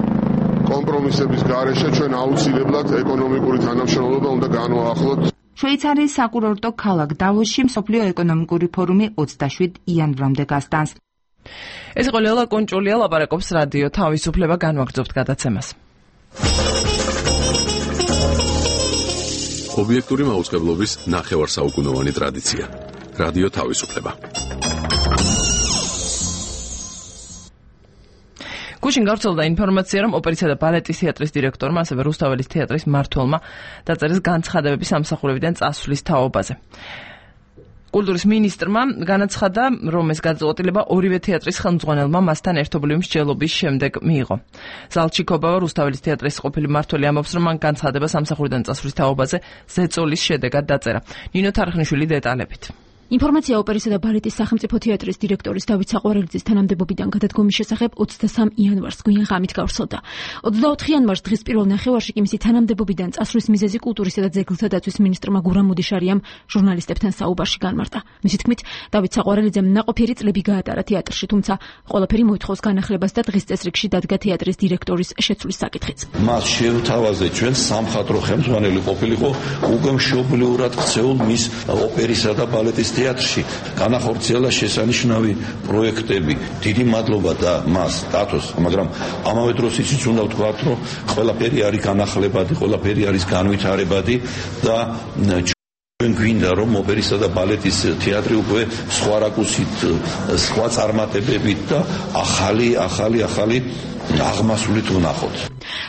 კომპრომისების გარეშე ჩვენ აუცილებლად ეკონომიკური თანამშრომლობა უნდა განვაახლოთ. შვეიცარიის საკურორტო ქალაქ დავოსში მსოფლიო ეკონომიკური ფორუმი 27 იანვრამდე გასტანს. ეს იყო ლელა კონჭულია, ლაპარაკობს რადიო თავისუფლება, განვაგრძობთ გადაცემას. ობიექტური მაუწყებლობის ნახევარსაუკუნოვანი ტრადიცია. რადიო თავისუფლება. გუშინ გავრცელდა ინფორმაცია, რომ ოპერისა და ბალეტის თეატრის დირექტორმა, ასევე რუსთაველის თეატრის მმართველმა დაწერეს განცხადებები სამსახურებიდან წასვლის თაობაზე. კულტურის მინისტრმა განაცხადა, რომ ეს გადაწყვეტილება ორივე თეატრის ხელმძღვანელმა მასთან ერთობლივი მსჯელობის შემდეგ მიიღო. ზალჩიკობა, რუსთაველის თეატრის ყოფილი მმართველი ამბობს, რომ მან განცხადება სამსახურიდან წასვლის თაობაზე ზეწოლის შედეგად დაწერა. ნინო თარხნიშვილი დეტალებით. ინფორმაცია ოპერისა და ბალეტის სახელმწიფო თეატრის დირექტორის დავით საყვარელიძის თანამდებობიდან გადადგომის შესახებ 23 იანვარს გვიან ღამით გავრცელდა. 24 იანვარს დღის პირველ ნახევარში კი მისი თანამდებობიდან წასვლის მიზეზი კულტურისა და ძეგლთა დაცვის მინისტრმა გურამ მუდიშარიამ ჟურნალისტებთან საუბარში განმარტა. მისი თქმით, დავით საყვარელიძემ ნაყოფიერი წლები გაატარა თეატრში, თუმცა ყველაფერი მოითხოვს განახლებას და დღის წესრიგში დადგა თეატრის დირექტორის შეცვლის საკითხიც. მას შევთავაზე ჩვენ სამხატვრო ხელმძღვანელი ყოფილიყო უკვე მშობლიურად ქცეულ მის ოპერისა და ბალეტის თეატრში განახორციელა შესანიშნავი პროექტები. დიდი მადლობა და მას დათოს, მაგრამ ამავე დროს ისიც უნდა ვთქვათ, რომ ყველაფერი არის განახლებადი, ყველაფერი არის განვითარებადი და ჩვენ გვინდა რომ ოპერისა და ბალეტის თეატრი უკვე სხვა რაკურსით, სხვა წარმატებებით და ახალი აღმასვლით ვნახოთ.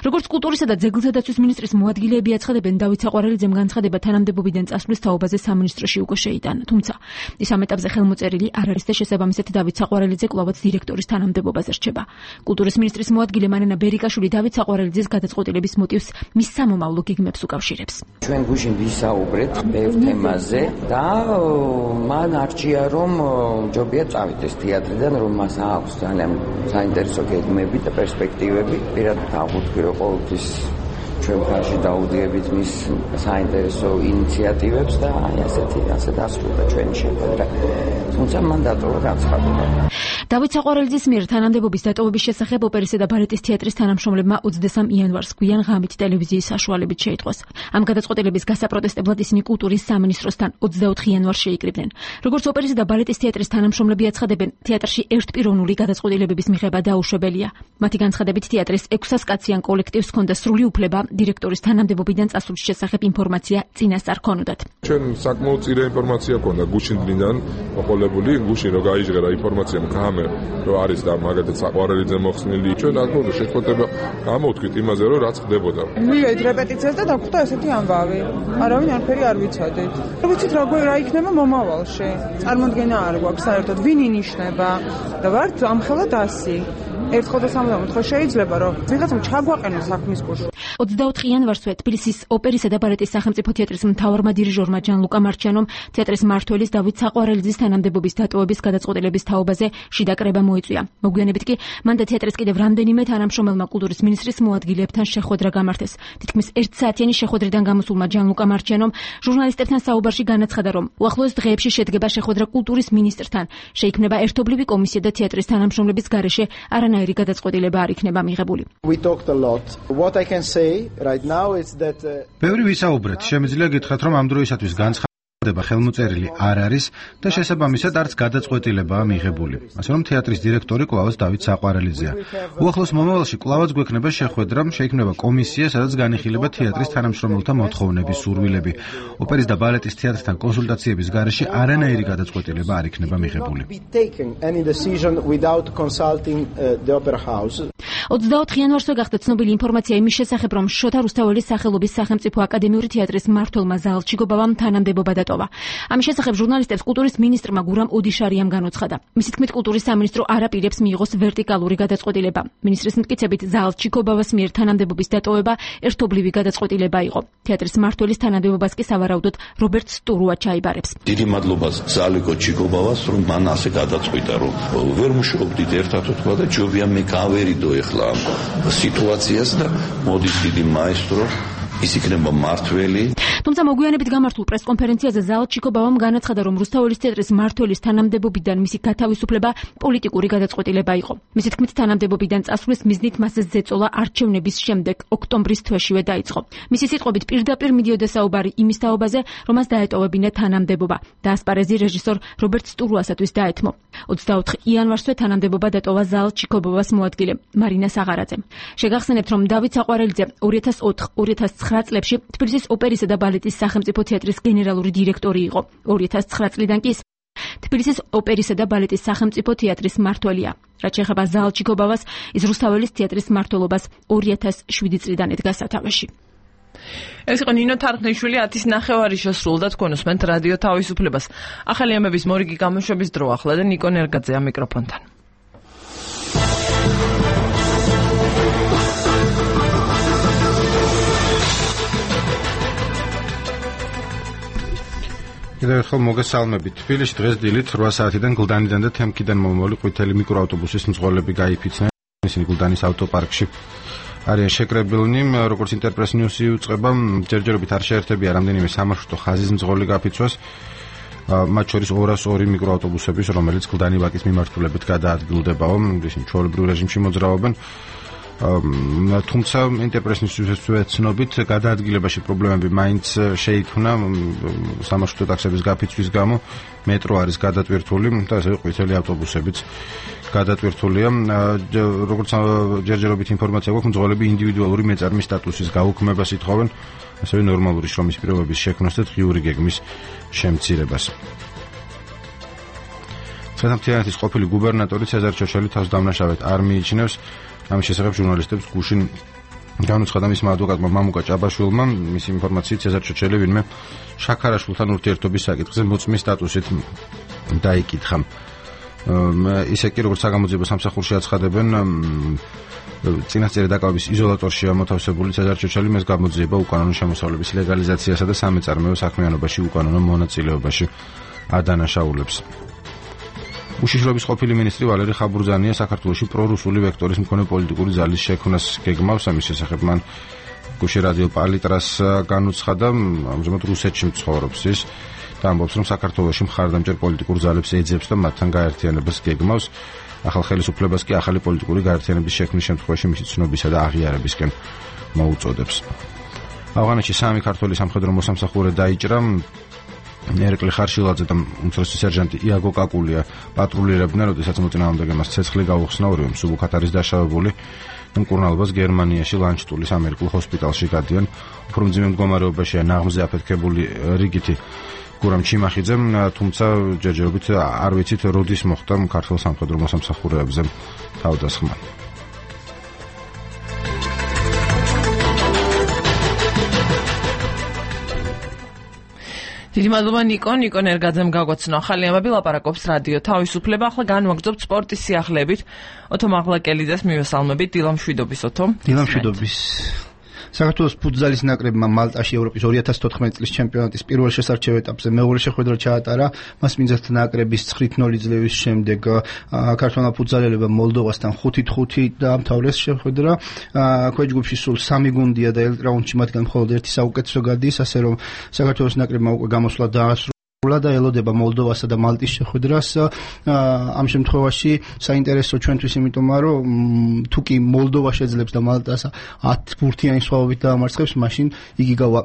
როგორც კულტურისა და ძეგლთა დაცვის მინისტრის მოადგილეები აცხადებენ, დავით საყვარელიძემ განცხადება თანამდებობიდან წასვლის თაობაზე სამინისტროში უკვე შეიტანა. თუმცა ის ამ ეტაპზე ხელმოწერილი არ არის და შესაბამისად დავით საყვარელიძე კვლავაც დირექტორის თანამდებობაზე რჩება. კულტურის მინისტრის მოადგილე მარინა ბერიკაშვილი დავით საყვარელიძის გადაწყვეტილების მოტივს მის სამომავლო გეგმებს უკავშირებს. ჩვენ გუშინ ვისაუბრეთ ბევრ თემაზე და მან არჩია რომ ჯობია წავიდეს თეატრიდან, რომ მას აქვს ძალიან საინტერესო გეგმები და პერსპექტივები. პირადად აღვთქვი, რომ ყოველთვის ჩვენ ხარში დაუდიებით მის საინტერესო ინიციატივებს და ასე დასრულდა ჩვენი შეხვედრა. თუმცა მან დატოვა განცხადება. დავით საყვარელიძის მიერ თანამდებობის დატოვების შესახებ ოპერისა და ბალეტის თეატრის თანამშრომლებმა 23 იანვარს გვიან ღამით ტელევიზიის საშუალებით შეიტყვეს. ამ გადაწყვეტილების გასაპროტესტებლად ისინი კულტურის სამინისტროსთან 24 იანვარს შეიკრიბნენ. როგორც ოპერისა და ბალეტის თეატრის თანამშრომლები აცხადებენ, თეატრში ერთპიროვნული გადაწყვეტილებების მიღება დაუშვებელია. მათი განცხადებით, თეატრის 600-კაციან კოლექტივს ჰქონდა სრული უფლება დირექტორის თანამდებობიდან წასვლის შესახებ ინფორმაცია წინასწარ ქონოდათ. ჩვენ საკმაოდ წინა ინფორმაცია ქონდა გუშინ დღიდან მოყოლებული, გუშინ რო გაიჟღერა ინფორმაცია მქამე, რომ არის და მაგათაც საყვარელიძე მოხსნილი. ჩვენ აქ შეხვედრება გამოვთქვით იმაზე, რომ რაც ხდებოდა. მივედით რეპეტიციას და დაგვხვდა ესეთი ამბავი. არავინ არაფერი არ ვიცოდით. ვიცით რა იქნება მომავალში. წარმოდგენა არ გვაქვს საერთოდ ვინ ინიშნება და ვართ ამხელა დასი. ერთხელ და სამუდამოდ შეიძლება რომ ვიღაცამ ჩაგვაყენოს საქმის კურსში. 24 იანვარსვე თბილისის ოპერისა და ბალეტის სახელმწიფო თეატრის მთავარმა დირიჟორმა ჯანლუკა მარჩიანომ თეატრის მმართველის დავით საყვარელიძის თანამდებობის დატოვების გადაწყვეტილების თაობაზე შიდა კრება მოიწვია. მოგვიანებით კი მან და თეატრის კიდევ რამდენიმე თანამშრომელმა კულტურის მინისტრის მოადგილეებთან შეხვედრა გამართეს. თითქმის 1 საათიანი შეხვედრიდან გამოსულმა ჯანლუკა მარჩიანომ ჟურნალისტებთან საუბარში განაცხადა, რომ უახლოეს დღეებში შედგება შეხვედრა კულტურის მინისტრთან. შეიქმნება ერთობლივი კომისია და თეატრის თანამშრომლების გარეშე არანაირი გადაწყვეტილება არ იქნება მიღებული. ბევრი ვისაუბრეთ, შემიძლია გითხრათ, რომ ამ დროისათვის განცხადება ხელმოწერილი არ არის და შესაბამისად არც გადაწყვეტილებაა მიღებული. ასე რომ თეატრის დირექტორი კვლავაც დავით საყვარელიძეა. უახლოს მომავალში კვლავაც გვექნება შეხვედრა, შეიქმნება კომისია, სადაც განიხილება თეატრის თანამშრომელთა მოთხოვნები, სურვილები. ოპერის და ბალეტის თეატრთან კონსულტაციების გარეშე არანაირი გადაწყვეტილება არ იქნება მიღებული. 24 იანვარსვე გახდა ცნობილი ინფორმაცია იმის შესახებ, რომ შოთა რუსთაველის სახელობის სახელმწიფო აკადემიური თეატრის მმართველმა ზალჩიკობავამ თანამდებობა დატოვა დატოვა. ამის შესახებ ჟურნალისტებს კულტურის მინისტრმა გურამ ოდიშარიამ განუცხადა. მისი თქმით, კულტურის სამინისტრო არ აპირებს მიიღოს ვერტიკალური გადაწყვეტილება. მინისტრის მტკიცებით, ზალ ჩიკობავას მიერ თანამდებობის დატოვება ერთობლივი გადაწყვეტილება იყო. თეატრის მმართველის თანამდებობას კი სავარაუდოდ რობერტ სტურუა ჩაიბარებს. დიდი მადლობა ზალიკო ჩიკობავას, რომ მან ასე გადაწყვიტა, რომ ვერ მუშაობდით ერთად თქვა და ჯობია მე გავერიდო ეხლა ამ სიტუაციას და მოდის დიდი მაესტრო ის იქნება მართველი. თუმცა მოგვიანებით გამართულ პრესკონფერენციაზე ზალ ჩიკობავამ განაცხადა, რომ რუსთაველის თეატრის მმართველის თანამდებობიდან მისი გათავისუფლება პოლიტიკური გადაწყვეტილება იყო. მისი თქმით, თანამდებობიდან წასვლის მიზნით მასზე ზეწოლა არჩევნების შემდეგ ოქტომბრის თვეშივე დაიწყო. მისი სიტყვებით პირდაპირ მიდიოდა საუბარი იმის თაობაზე, რომ მას დაეტოვებინა თანამდებობა და ასპარეზი რეჟისორ რობერტ სტურუასათვის დაეთმო. 24 იანვარსვე თანამდებობა დატოვა ზალ ჩიკობავას მოადგილე მარინა საღარაძემ. შეგახსენებთ, რომ დავით საყვარელიძე 2004-2009 წლებში თბილისის ოპერისა და ბალეტის სახელმწიფო თეატრის გენერალური დირექტორი იყო. 2009 წლიდან კი თბილისის ოპერისა და ბალეტის სახელმწიფო თეატრის მმართველია. რაც შეეხება ზალ ჩიკობავას, ის რუსთაველის თეატრის მმართველობას 2007 წლიდან ედგა სათავეში. ეს იყო ნინო თარხნიშვილი 10:09 შესრულდა თქვენ უსმენთ რადიო თავისუფლებას. ახალი ამების მორიგი გამოშვების დრო ახლა და ნიკო ნერგაძე ამ მიკროფონთან. კიდევ ერთხელ მოგესალმებით. თბილისში დღეს დილით 8 საათიდან გლდანიდან და თემკიდან მომავალი ყვითელი მიკროავტობუსის მძღოლები გაიფიცნენ. ისინი გლდანის ავტოპარკში არიან შეკრებილნი, როგორც ინტერპრეს ნიუსი უწყება, ჯერჯერობით არ შეერთებია რამდენიმე სამარშრუტო ხაზის მძღოლი გაფიცვას, მათ შორის 202 მიკროავტობუსების, რომელიც გლდანი ვაკის მიმართულებით გადაადგილდებაო, ისინი ჩვეულებრივ რეჟიმში მოძრაობენ. თუმცა ინტერპრესის ცნობით გადაადგილებაში პრობლემები მაინც შეიქმნა სამარშრუტო ტაქსების გაფიცვის გამო. მეტრო არის გადატვირთული და ასევე ყვითელი ავტობუსებიც გადატვირთულია. როგორც ჯერჯერობით ინფორმაცია გვაქვს, მძღოლები ინდივიდუალური მეწარმის სტატუსის გაუქმებას ითხოვენ, ასევე ნორმალური შრომის პირობების შექმნას და დღიური გეგმის შემცირებას. თიანეთის ყოფილი გუბერნატორი ცეზარ ჩოჩელი თავს დამნაშავედ არ მიიჩნევს. ამის შესახებ ჟურნალისტებს გუშინ განუცხადა მისმა ადვოკატმა მამუკა ჭაბაშვილმა, მისი ინფორმაციით ცეზარ ჩოჩელი ვინმე შაქარაშვილთან ურთიერთობის საკითხზე მოწმის სტატუსით დაიკითხა. ისე კი როგორც საგამოძიებო სამსახურში აცხადებენ, წინასწარი დაკავების იზოლატორშია მოთავსებული ცეზარ ჩოჩელი, მას გამოძიება უკანონო შემოსავლების ლეგალიზაციასა და სამეწარმეო საქმიანობაში უკანონო მონაწილეობაში ადანაშაულებს. უშიშროების ყოფილი მინისტრი ვალერი ხაბურძანია საქართველოში პრორუსული ვექტორის მქონე პოლიტიკური ძალის შექმნას გეგმავს. ამის შესახებ მან გუშინ რადიო პალიტრას განუცხადა, ამჟამად რუსეთში მცხოვრობს ის და ამბობს, რომ საქართველოში მხარდამჭერ პოლიტიკურ ძალებს ეძებს და მათთან გაერთიანებას გეგმავს. ახალ ხელისუფლებას კი ახალი პოლიტიკური გაერთიანების შექმნის შემთხვევაში მისი ცნობისა და აღიარებისკენ მოუწოდებს. ავღანეთში 3 ქართველი სამხედრო მოსამსახურე დაიჭრა. ერეკლი ხარშილაძე და უმცროსი სერჟანტი იაგო კაკულია პატრულირებდნენ, როდესაც მოწინააღმდეგე მას ცეცხლი გაუხსნა, ორივე მსუბუქად არის დაშავებული. მკურნალობას გერმანიაში ლანჩტულის ამერიკულ ჰოსპიტალში გადიან. უფრო მძიმე მდგომარეობაშია ნაღმზე აფეთქებული რიგითი გურამ ჩიმახიძემ, თუმცა ჯერჯერობით არ ვიცით როდის მოხდა ქართულ სამხედრო მოსამსახურეებზე თავდასხმა. დიდი მადლობა ნიკო ნერგაძემ გაგვაცნო ახალი ამბები, ლაპარაკობს რადიო თავისუფლება. ახლა განვაგრძობთ სპორტის სიახლეებით. ოთო მაღლაკელიძეს მივესალმებით. დილამშვიდობის ოთო. დილამშვიდობის. საქართველოს ფუტზალის ნაკრებმა მალტაში ევროპის 2014 წლის ჩემპიონატის პირველ შესარჩევ ეტაპზე მეორე შეხვედრა ჩაატარა. მას მინძათ ნაკრების 9-0 ძლევის შემდეგ ქართველმა ფუტზალელებმა მოლდოვასთან 5-5 დაამთავრეს შეხვედრა. ქვეჯგუფში სულ 3 გუნდია და ელიტ-რაუნდში მათგან მხოლოდ ერთი საუკეთესო გადის, ასე რომ საქართველოს ნაკრებმა უკვე გამოსვლა დაასრულა და ელოდება მოლდოვასა და მალტის შეხვედრას. ამ შემთხვევაში საინტერესო ჩვენთვის, იმიტომ რომ თუ კი მოლდოვა შეძლებს და მალტას 10 ბურთიანი სხვაობით დაამარცხებს, მაშინ იგი გავა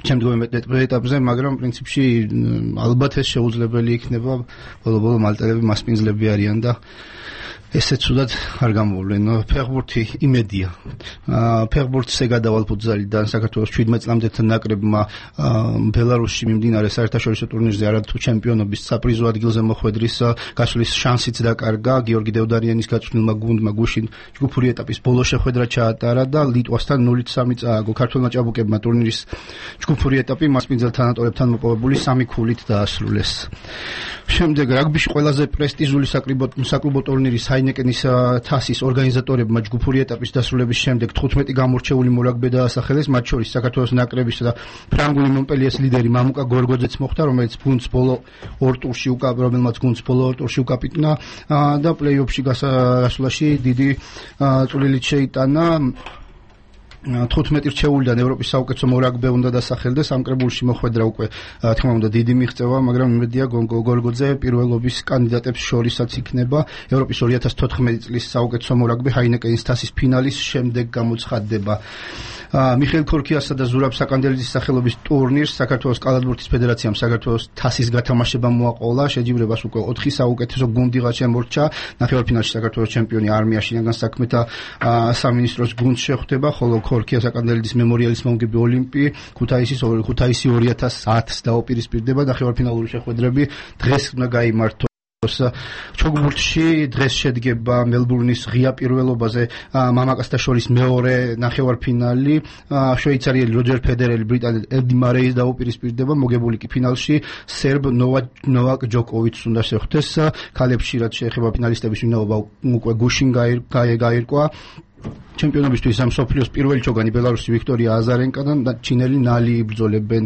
შემდგომ ეტაპზე, მაგრამ პრინციპში ალბათ ეს შეუძლებელი იქნება. ბოლო-ბოლო მალტელები მასპინძლები არიან და ესე ცუდად არ გამოვლენ. ფეხბურთი იმედია. ფეხბურთზე გადავალ ფუტზალიდან საქართველოს 17 წლამდელთან ნაკრებმა ბელარუსში მიმდინარე საერთაშორისო ტურნირზე არათუ ჩემპიონობის საპრიზო ადგილზე მოხვედრის გასვლის შანსიც დაკარგა. გიორგი დევდარიანის გაწვრთნილმა გუნდმა გუშინ ჯგუფური ეტაპის ბოლო შეხვედრა ჩაატარა და ლიტვასთან 0-3 წააგო. ქართველმა ჭაბუკებმა ტურნირის ჯგუფური ეტაპი მასპინძელ თანატორებთან მოპოვებული 3 ქულით დაასრულეს. შემდეგ რაგბიში ყველაზე პრესტიჟული საკლუბო ტურნირი ჰაინეკენის თასის ორგანიზატორებმა ჯგუფური ეტაპის დასრულების შემდეგ 15 გამორჩეული მორაგბე დაასახელეს, მათ შორის საქართველოს ნაკრების და ფრანგული მონპელიეს ლიდერი მამუკა გორგოძეც მოხვდა, რომელმაც გუნდს ბოლო ორ ტურში უკაპიტნა და პლეი-ოფში გასვლაში დიდი წვლილით შეიტანა. 15 რჩეულიდან ევროპის საუკეთესო მორაგბე უნდა დასახელდეს, ამ კრებულში მოხვედრა უკვე თქმა უნდა დიდი მიღწევა, მაგრამ იმედია გორგოძე პირველობის კანდიდატებს შორისაც იქნება. ევროპის 2014 წლის საუკეთესო მორაგბე ჰაინეკენის თასის ფინალის შემდეგ გამოცხადდება. მიხეილ ქორქიასა და ზურაბ საკანდელიძის სახელობის ტურნირს საქართველოს კალათბურთის ფედერაციამ საქართველოს თასის გათამაშება მოაყოლა. შეჯიბრებას უკვე 4 საუკეთესო გუნდიღა შემორჩა. ნახევარფინალში საქართველოს ჩემპიონი არმია შინაგან საქმეთა სამინისტროს გუნდს შეხვდება, ხოლო ქორქია საკანდელიძის მემორიალის მომგები ოლიმპი ქუთაისი 2010-ს დაუპირისპირდება. ნახევარფინალური შეხვედრები დღეს უნდა გაიმართოს. ჩოგბურთში დღეს შედგება მელბურნის ღია პირველობაზე მამაკაცთა შორის მეორე ნახევარფინალი. შვეიცარიელი როჯერ ფედერერი ბრიტანელ ედი მარეის დაუპირისპირდება. მოგებული კი ფინალში სერბ ნოვაკ ჯოკოვიჩს უნდა შეხვდეს. ქალებში რაც შეეხება ფინალისტების ვინაობა უკვე გუშინ გაირკვა. ჩემპიონობისთვის ამ სოფლიოს პირველი ჩოგანი ბელარუსი ვიქტორია აზარენკა და ჩინელი ნალი იბრძოლებენ.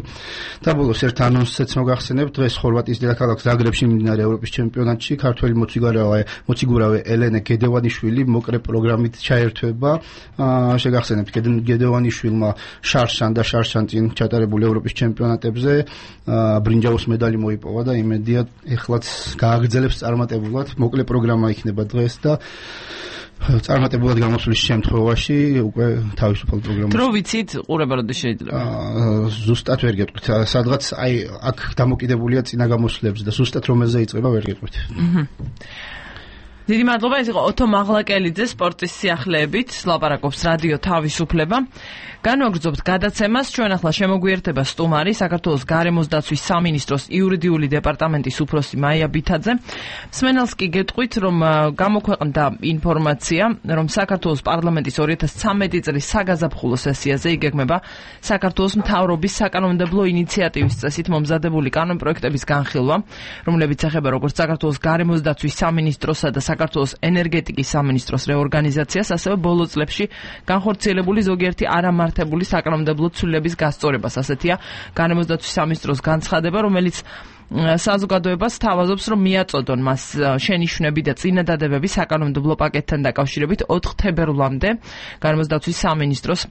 და ბოლოს ერთ ანონსიც მოგახსენებთ, დღეს ხორვატიის დედაქალაქ ზაგრებში მიმდინარე ევროპის ჩემპიონატში ქართველი მოციგურავე ელენე გედევანიშვილი მოკრე პროგრამით ჩაერთვება. შეგახსენებთ, გედევანიშვილმა შარშან და შარშანწინ ჩატარებულ ევროპის ჩემპიონატებზე ბრინჯაოს მედალი მოიპოვა და იმედია ეხლაც გააგრძელებს წარმატებულად. მოკლე პროგრამა იქნება დღეს და წარმატებულად გამოსვლის შემთხვევაში უკვე თავისუფალ პროგრამაში. დრო ვიცით, ყურება როდის შეიძლება? ზუსტად ვერ გეტყვით. სადღაც აი აქ დამოკიდებულია წინა გამოსვლებზე და ზუსტად რომელზე იწყება ვერ გეტყვით. დიდი მადლობა, ეს იყო ოთო მაღლაკელიძე სპორტის სიახლეებით, ლაპარაკობს რადიო თავისუფლება. განვაგრძობთ გადაცემას, ჩვენ ახლა შემოგვიერთება სტუმარი, საქართველოს გარემოს დაცვის სამინისტროს იურიდიული დეპარტამენტის უფროსი მაია ბითაძე. მსმენელს კი გეტყვით, რომ გამოქვეყნდა ინფორმაცია, რომ საქართველოს პარლამენტის 2013 წლის საგაზაფხულო სესიაზე იგეგმება საქართველოს მთავრობის საკანონმდებლო ინიციატივის წესით მომზადებული კანონპროექტების განხილვა, რომლებიც ეხება როგორც საქართველოს გარემოს დაცვის სამინისტროსა და საქართველოს ენერგეტიკის სამინისტროს რეორგანიზაციას, ასევე ბოლო წლებში განხორციელებული ზოგიერთი არამართებული საკანონმდებლო ცვლილების გასწორებას. ასეთია გარემოს დაცვის სამინისტროს განცხადება, რომელიც საზოგადოებას თავაზობს, რომ მიაწოდონ მას შენიშვნები და წინადადებები საკანონმდებლო პაკეტთან დაკავშირებით 4 თებერვლამდე გარემოს დაცვის სამინისტროს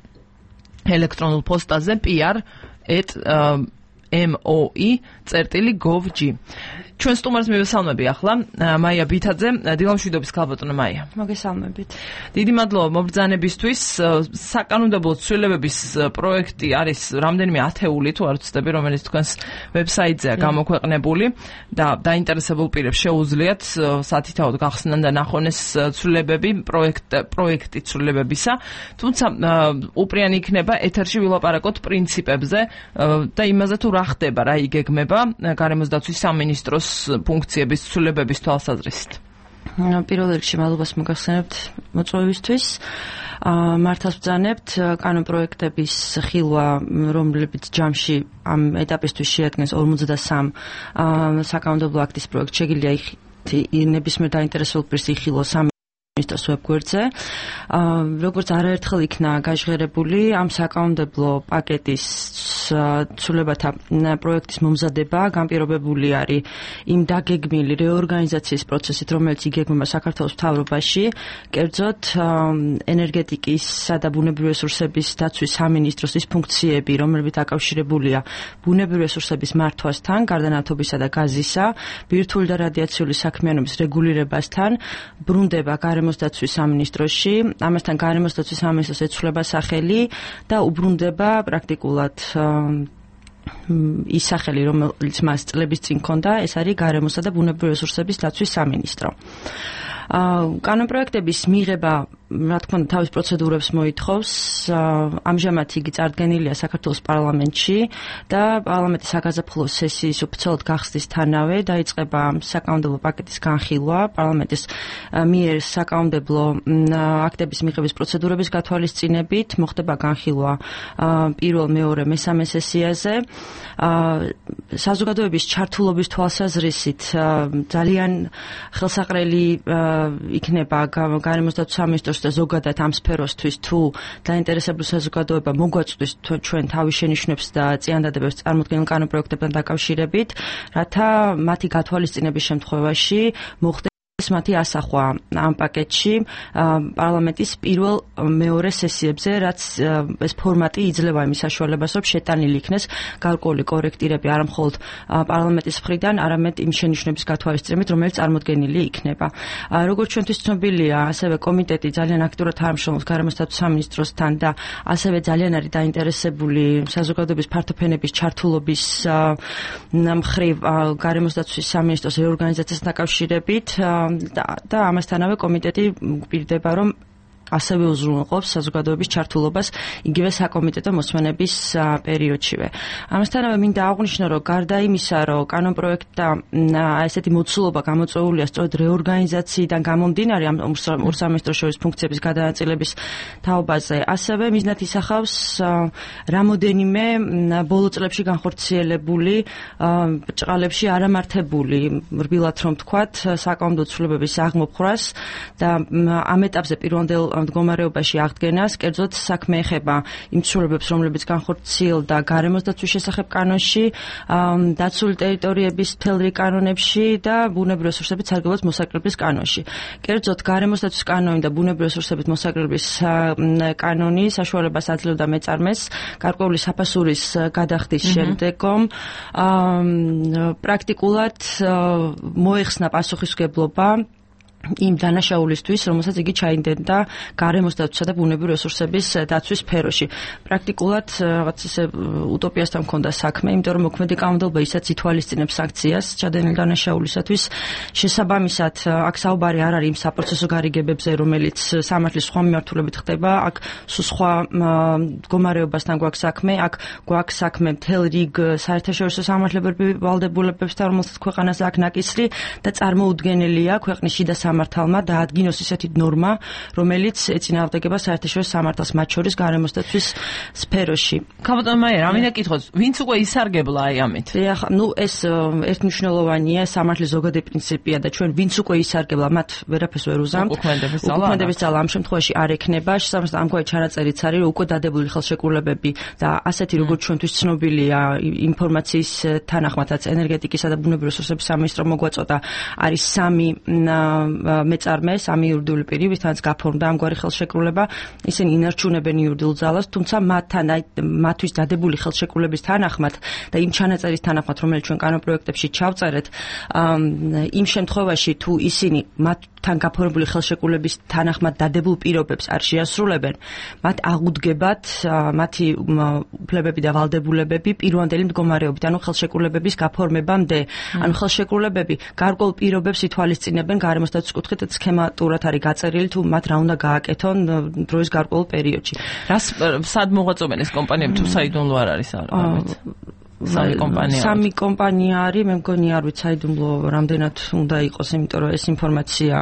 ელექტრონულ პოსტაზე pr@moi.gov.g. ჩვენ სტუმარს მივესალმები ახლა მაია ბითაძე, დილამშვიდობის ქალბატონო მაია. მოგესალმებით. დიდი მადლობა მობრძანებისთვის. საკანონმდებლო ცვლილებების პროექტი არის რამდენიმე ათეული, თუ არ ვცდები, რომელიც თქვენს ვებსაიტზეა გამოქვეყნებული და დაინტერესებულ პირებს შეუძლიათ სათითაოდ გახსნან და ნახონ ეს ცვლილებები, პროექტი ცვლილებებისა. თუმცა უპრიანი იქნება ეთერში ვილაპარაკოთ პრინციპებზე და იმაზე თუ რა ხდება, რა იგეგმება გარემოს დაცვის სამინისტროს ფუნქციების ცვლილებების თვალსაზრისით. პირველ რიგში მადლობას მოგახსენებთ მოწვევისთვის. მართავს ბრძანებთ კანონპროექტების ხილვა, რომლებიც ჯამში ამ ეტაპისთვის შეადგენს 53 საკანონმდებლო აქტის პროექტ, შეგიძლია ნებისმიერ დაინტერესებულ პირს იხილოს ministros webგვერდზე. როგორც არაერთხელ იქნა გაჟღერებული ამ საკანონმდებლო პაკეტის ცვლილებათა პროექტის მომზადება განპირობებული არის იმ დაგეგმილი რეორგანიზაციის პროცესით, რომელიც იგეგმება საქართველოს მთავრობაში, კერძოდ ენერგეტიკისა და ბუნებრივი რესურსების დაცვის სამინისტროს ის ფუნქციები, რომლებიც დაკავშირებულია ბუნებრივი რესურსების მართვასთან, გარდანავთობისა და გაზისა, ბირთვული და რადიაციული საქმიანობის რეგულირებასთან, ბრუნდება გარემოს დაცვის სამინისტროში, ამასთან გარემოს დაცვის სამინისტროს ეცვლება სახელი და უბრუნდება პრაქტიკულად ის სახელი, რომელიც მას წლების წინ ჰქონდა, ეს არის გარემოსა და ბუნებრივი რესურსების დაცვის სამინისტრო. კანონპროექტების მიღება რა თქმა უნდა თავის პროცედურებს მოითხოვს. ამჟამად იგი წარდგენილია საქართველოს პარლამენტში და პარლამენტის საგაზაფხულო სესიის ოფიციალურად გახსნისთანავე დაიწყება საკანონმდებლო პაკეტის განხილვა. პარლამენტის მიერ საკანონმდებლო აქტების მიღების პროცედურების გათვალისწინებით მოხდება განხილვა პირველ, მეორე, მესამე სესიაზე. საზოგადოების ჩართულობის თვალსაზრისით ძალიან ხელსაყრელი იქნება გარემოსდაცვის სამინისტროს და ზოგადად ამ სფეროსთვის თუ დაინტერესებული საზოგადოება მოგვაწვდის ჩვენ თავის შენიშვნებს და წინადადებებს წარმოქმნილ კანონპროექტებთან დაკავშირებით, რათა მათი გათვალისწინების შემთხვევაში მოხდეს მათი ასახვა ამ პაკეტში პარლამენტის პირველ მეორე სესიებზე, რაც ეს ფორმატი იძლევა იმის საშუალებას, რომ შეტანილი იქნეს გარკვეული კორექტირები არა მხოლოდ პარლამენტის მხრიდან, არამედ იმ შენიშვნების გათვალისწინებით, რომელიც წარმოდგენილი იქნება. როგორც ჩვენთვის ცნობილია, ასევე კომიტეტი ძალიან აქტიურად თანამშრომლობს გარემოსდაცვის სამინისტროსთან და ასევე ძალიან არის დაინტერესებული საზოგადოების ფართოფენების ჩართულობის მხრივ გარემოსდაცვის სამინისტროს რეორგანიზაციასთან დაკავშირებით. და ამასთანავე კომიტეტი გვპირდება, რომ ასევე უზრუნველყოფს საზოგადოების ჩართულობას იგივე საკომიტეტო მოსმენების პერიოდშივე. ამასთანავე მინდა აღვნიშნო, რომ გარდა იმისა, რომ კანონპროექტა ესეთი მოცულობა გამოწვეულია სწორედ რეორგანიზაციიდან გამომდინარე ამ ორ სამინისტროს შორის ფუნქციების გადანაწილების თაობაზე, ასევე მიზნად ისახავს რამოდენიმე ბოლო წლებში განხორციელებული ბრჭყალებში არამართებული, რბილად რომ ვთქვათ, საკანონმდებლო ცვლილებების აღმოფხვრას და ამ ეტაპზე პირვანდელ მდგომარეობაში აღდგენას, კერძოდ საქმე ეხება იმ ცვლილებებს, რომლებიც განხორციელდა გარემოსდაცვის შესახებ კანონში, დაცული ტერიტორიების მთელ რიგ კანონებში და ბუნებრივი რესურსების სარგებლობის მოსაკრებლის კანონში. კერძოდ გარემოსდაცვის კანონი და ბუნებრივი რესურსების მოსაკრებლის კანონი საშუალებას აძლევდა მეწარმეს გარკვეული საფასურის გადახდის შემდეგომ პრაქტიკულად მოეხსნა პასუხისმგებლობა იმ დანაშაულისთვის, რომელსაც იგი ჩაიდენდა გარემოსდაცვისა და ბუნებრივი რესურსების დაცვის სფეროში. პრაქტიკულად რაღაც ისე უტოპიასთან მქონდა საქმე, იმიტომ რომ მოქმედი კანონმდებლობა ისაც ითვალისწინებს სანქციას ჩადენილ დანაშაულისათვის. შესაბამისად, აქ საუბარი არ არის იმ საპროცესო გარიგებებზე, რომელიც სამართლის სხვა მიმართულებით ხდება, აქ სხვა მდგომარეობასთან გვაქვს საქმე, აქ გვაქვს საქმე მთელ რიგ საერთაშორისო სამართლებრივ ვალდებულებებთან, რომელსაც ქვეყანას აქვს ნაკისრი და წარმოუდგენელია ქვეყნის შიდა სამართალმა დაადგინოს ისეთი ნორმა, რომელიც ეწინააღმდეგება საერთაშორისო სამართალს, მათ შორის გარემოსდაცვის სფეროში. ქაბატონ მაიერ, ამინდა კითხოთ, ვინც უკვე ისარგებლა აი ამით? ეს ერთმნიშვნელოვანია, სამართლის ზოგადი პრინციპია და ჩვენ ვინც უკვე ისარგებლა, მათ ვერაფერს ვერ უზამთ. უკმაყოფილების ძალა ამ შემთხვევაში არ ექნება, შესაბამისად ამგვარი ჩანაწერიც არის, რომ უკვე დადებული ხელშეკრულებები და ასეთი როგორც ჩვენთვის ცნობილია ინფორმაციის თანახმადაც ენერგეტიკისა და ბუნებრივი რესურსების სამინისტრო მოგვაწოდა, არის 3 მეწარმე, 3 იურიდიული პირი, ვისთანაც გაფორმდა ამგვარი ხელშეკრულება, ისინი ინარჩუნებენ იურიდიულ ძალას, თუმცა მათთვის დადებული ხელშეკრულების თანახმად და იმ ჩანაწერის თანახმად, რომელიც ჩვენ კანონპროექტებში ჩავწერეთ, იმ შემთხვევაში თუ ისინი მათთან გაფორმებული ხელშეკრულების თანახმად დადებულ პირობებს არ შეასრულებენ, მათ აღუდგებათ მათი უფლებები და ვალდებულებები პირვანდელი მდგომარეობით, ანუ ხელშეკრულებების გაფორმებამდე, ანუ ხელშეკრულებები გარკვეულ პირობებს ითვალისწინებენ გარემოსდაცვის კუთხით სქემატურად არის გაწერილი თუ მათ რა უნდა გააკეთონ დროის გარკვეულ პერიოდში. სად მოღვაწობენ ეს კომპანიები თუ საიდუმლო არ არის ამით? სამი კომპანია არის, მე მგონი არ ვიცი საიდუმლო რამდენად უნდა იყოს, იმიტომ რომ ეს ინფორმაცია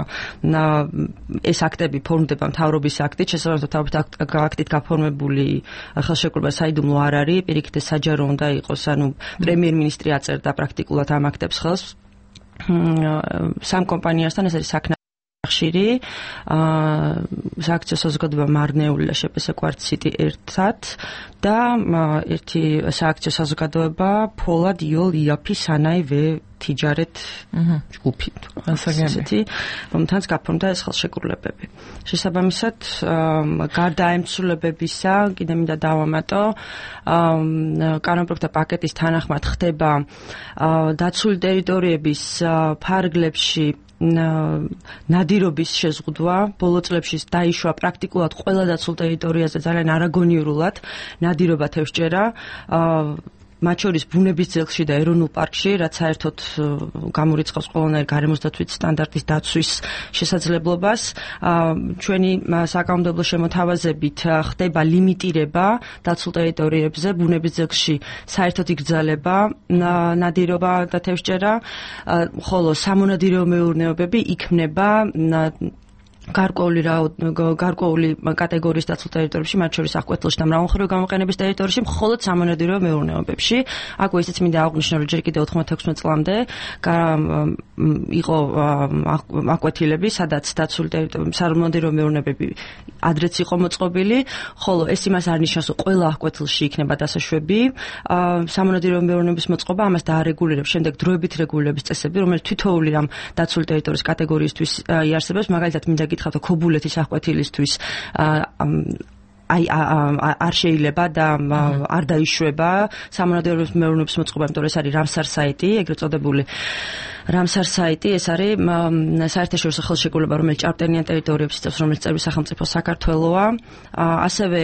ეს აქტები ფორმდება მთავრობის აქტით, შესაბამისად მთავრობის აქტით გაფორმებული ხელშეკრულება საიდუმლო არ არის, პირიქით საჯარო უნდა იყოს, ანუ პრემიერ-მინისტრი აწერდა პრაქტიკულად ამ აქტებს ხელს. სამ კომპანიასთან ეს არის ხშირი სააქციო საზოგადოება მარნეული და შეპესე კვარტციტი ერთად და ერთი სააქციო საზოგადოება ფოლად იოლ იაფი სანაი თიჯარეთ ჯგუფი ასაგები რომთანაც გაფორმდა ეს ხელშეკრულებები. შესაბამისად გარდა ემცვლებებისა კიდე მინდა დავამატო კანონპროექტთა პაკეტის თანახმად ხდება დაცული ტერიტორიების ფარგლებში ნადირობის შეზღუდვა. ბოლო წლებში დაიშვა პრაქტიკულად ყველა დაცულ ტერიტორიაზე ძალიან არაგონიურულად ნადირობა თევზჭერა. მათ შორის ბუნების ძეგლში და ეროვნულ პარკში, რაც საერთოდ გამორიცხავს ყველანაირ გარემოსდაცვით სტანდარტის დაცვის შესაძლებლობას. ჩვენი საკანონმდებლო შემოთავაზებით ხდება ლიმიტირება დაცულ ტერიტორიებზე, ბუნების ძეგლში საერთოდ იგრძელება ნადირობა და თევზჭერა, ხოლო სამონადირეო მეურნეობები იქმნება გარკვეული კატეგორიის დაცულ ტერიტორიებში, მათ შორის აღკვეთილში და მრავალმხრივი გამოყენების ტერიტორიებში, მხოლოდ სამონადირეო მეურნეობებში. აქვე ისიც მინდა აღვნიშნო, რომ ჯერ კიდევ 96 წლამდე იყო აღკვეთილები, სადაც დაცული ტერიტორიები, სამონადირეო მეურნეობები ადრეც იყო მოწყობილი, ხოლო ეს იმას არ ნიშნავს, რომ ყველა აღკვეთილში იქნება დასაშვები. სამონადირეო მეურნეობის მოწყობა ამას დაარეგულირებს შემდეგ დროებით რეგულირების წესები, რომელიც თითოეული ამ დაცული ტერიტორიის კატეგორიისთვის იარსებებს, მაგალითად მინდა გითხრათ, ქობულეთის აღკვეთილისთვის არ შეიძლება და არ დაიშვება სამონადირეო მეურნეობის მოწყობა, იმიტომ რომ ეს არის რამსარ საიტი, ეგრეთ წოდებული რამსარ საიტი, ეს არის საერთაშორისო ხელშეკრულება, რომელიც ჭარბტენიან ტერიტორიებს იწევს, რომელიც წევრი სახელმწიფო საქართველოა. ასევე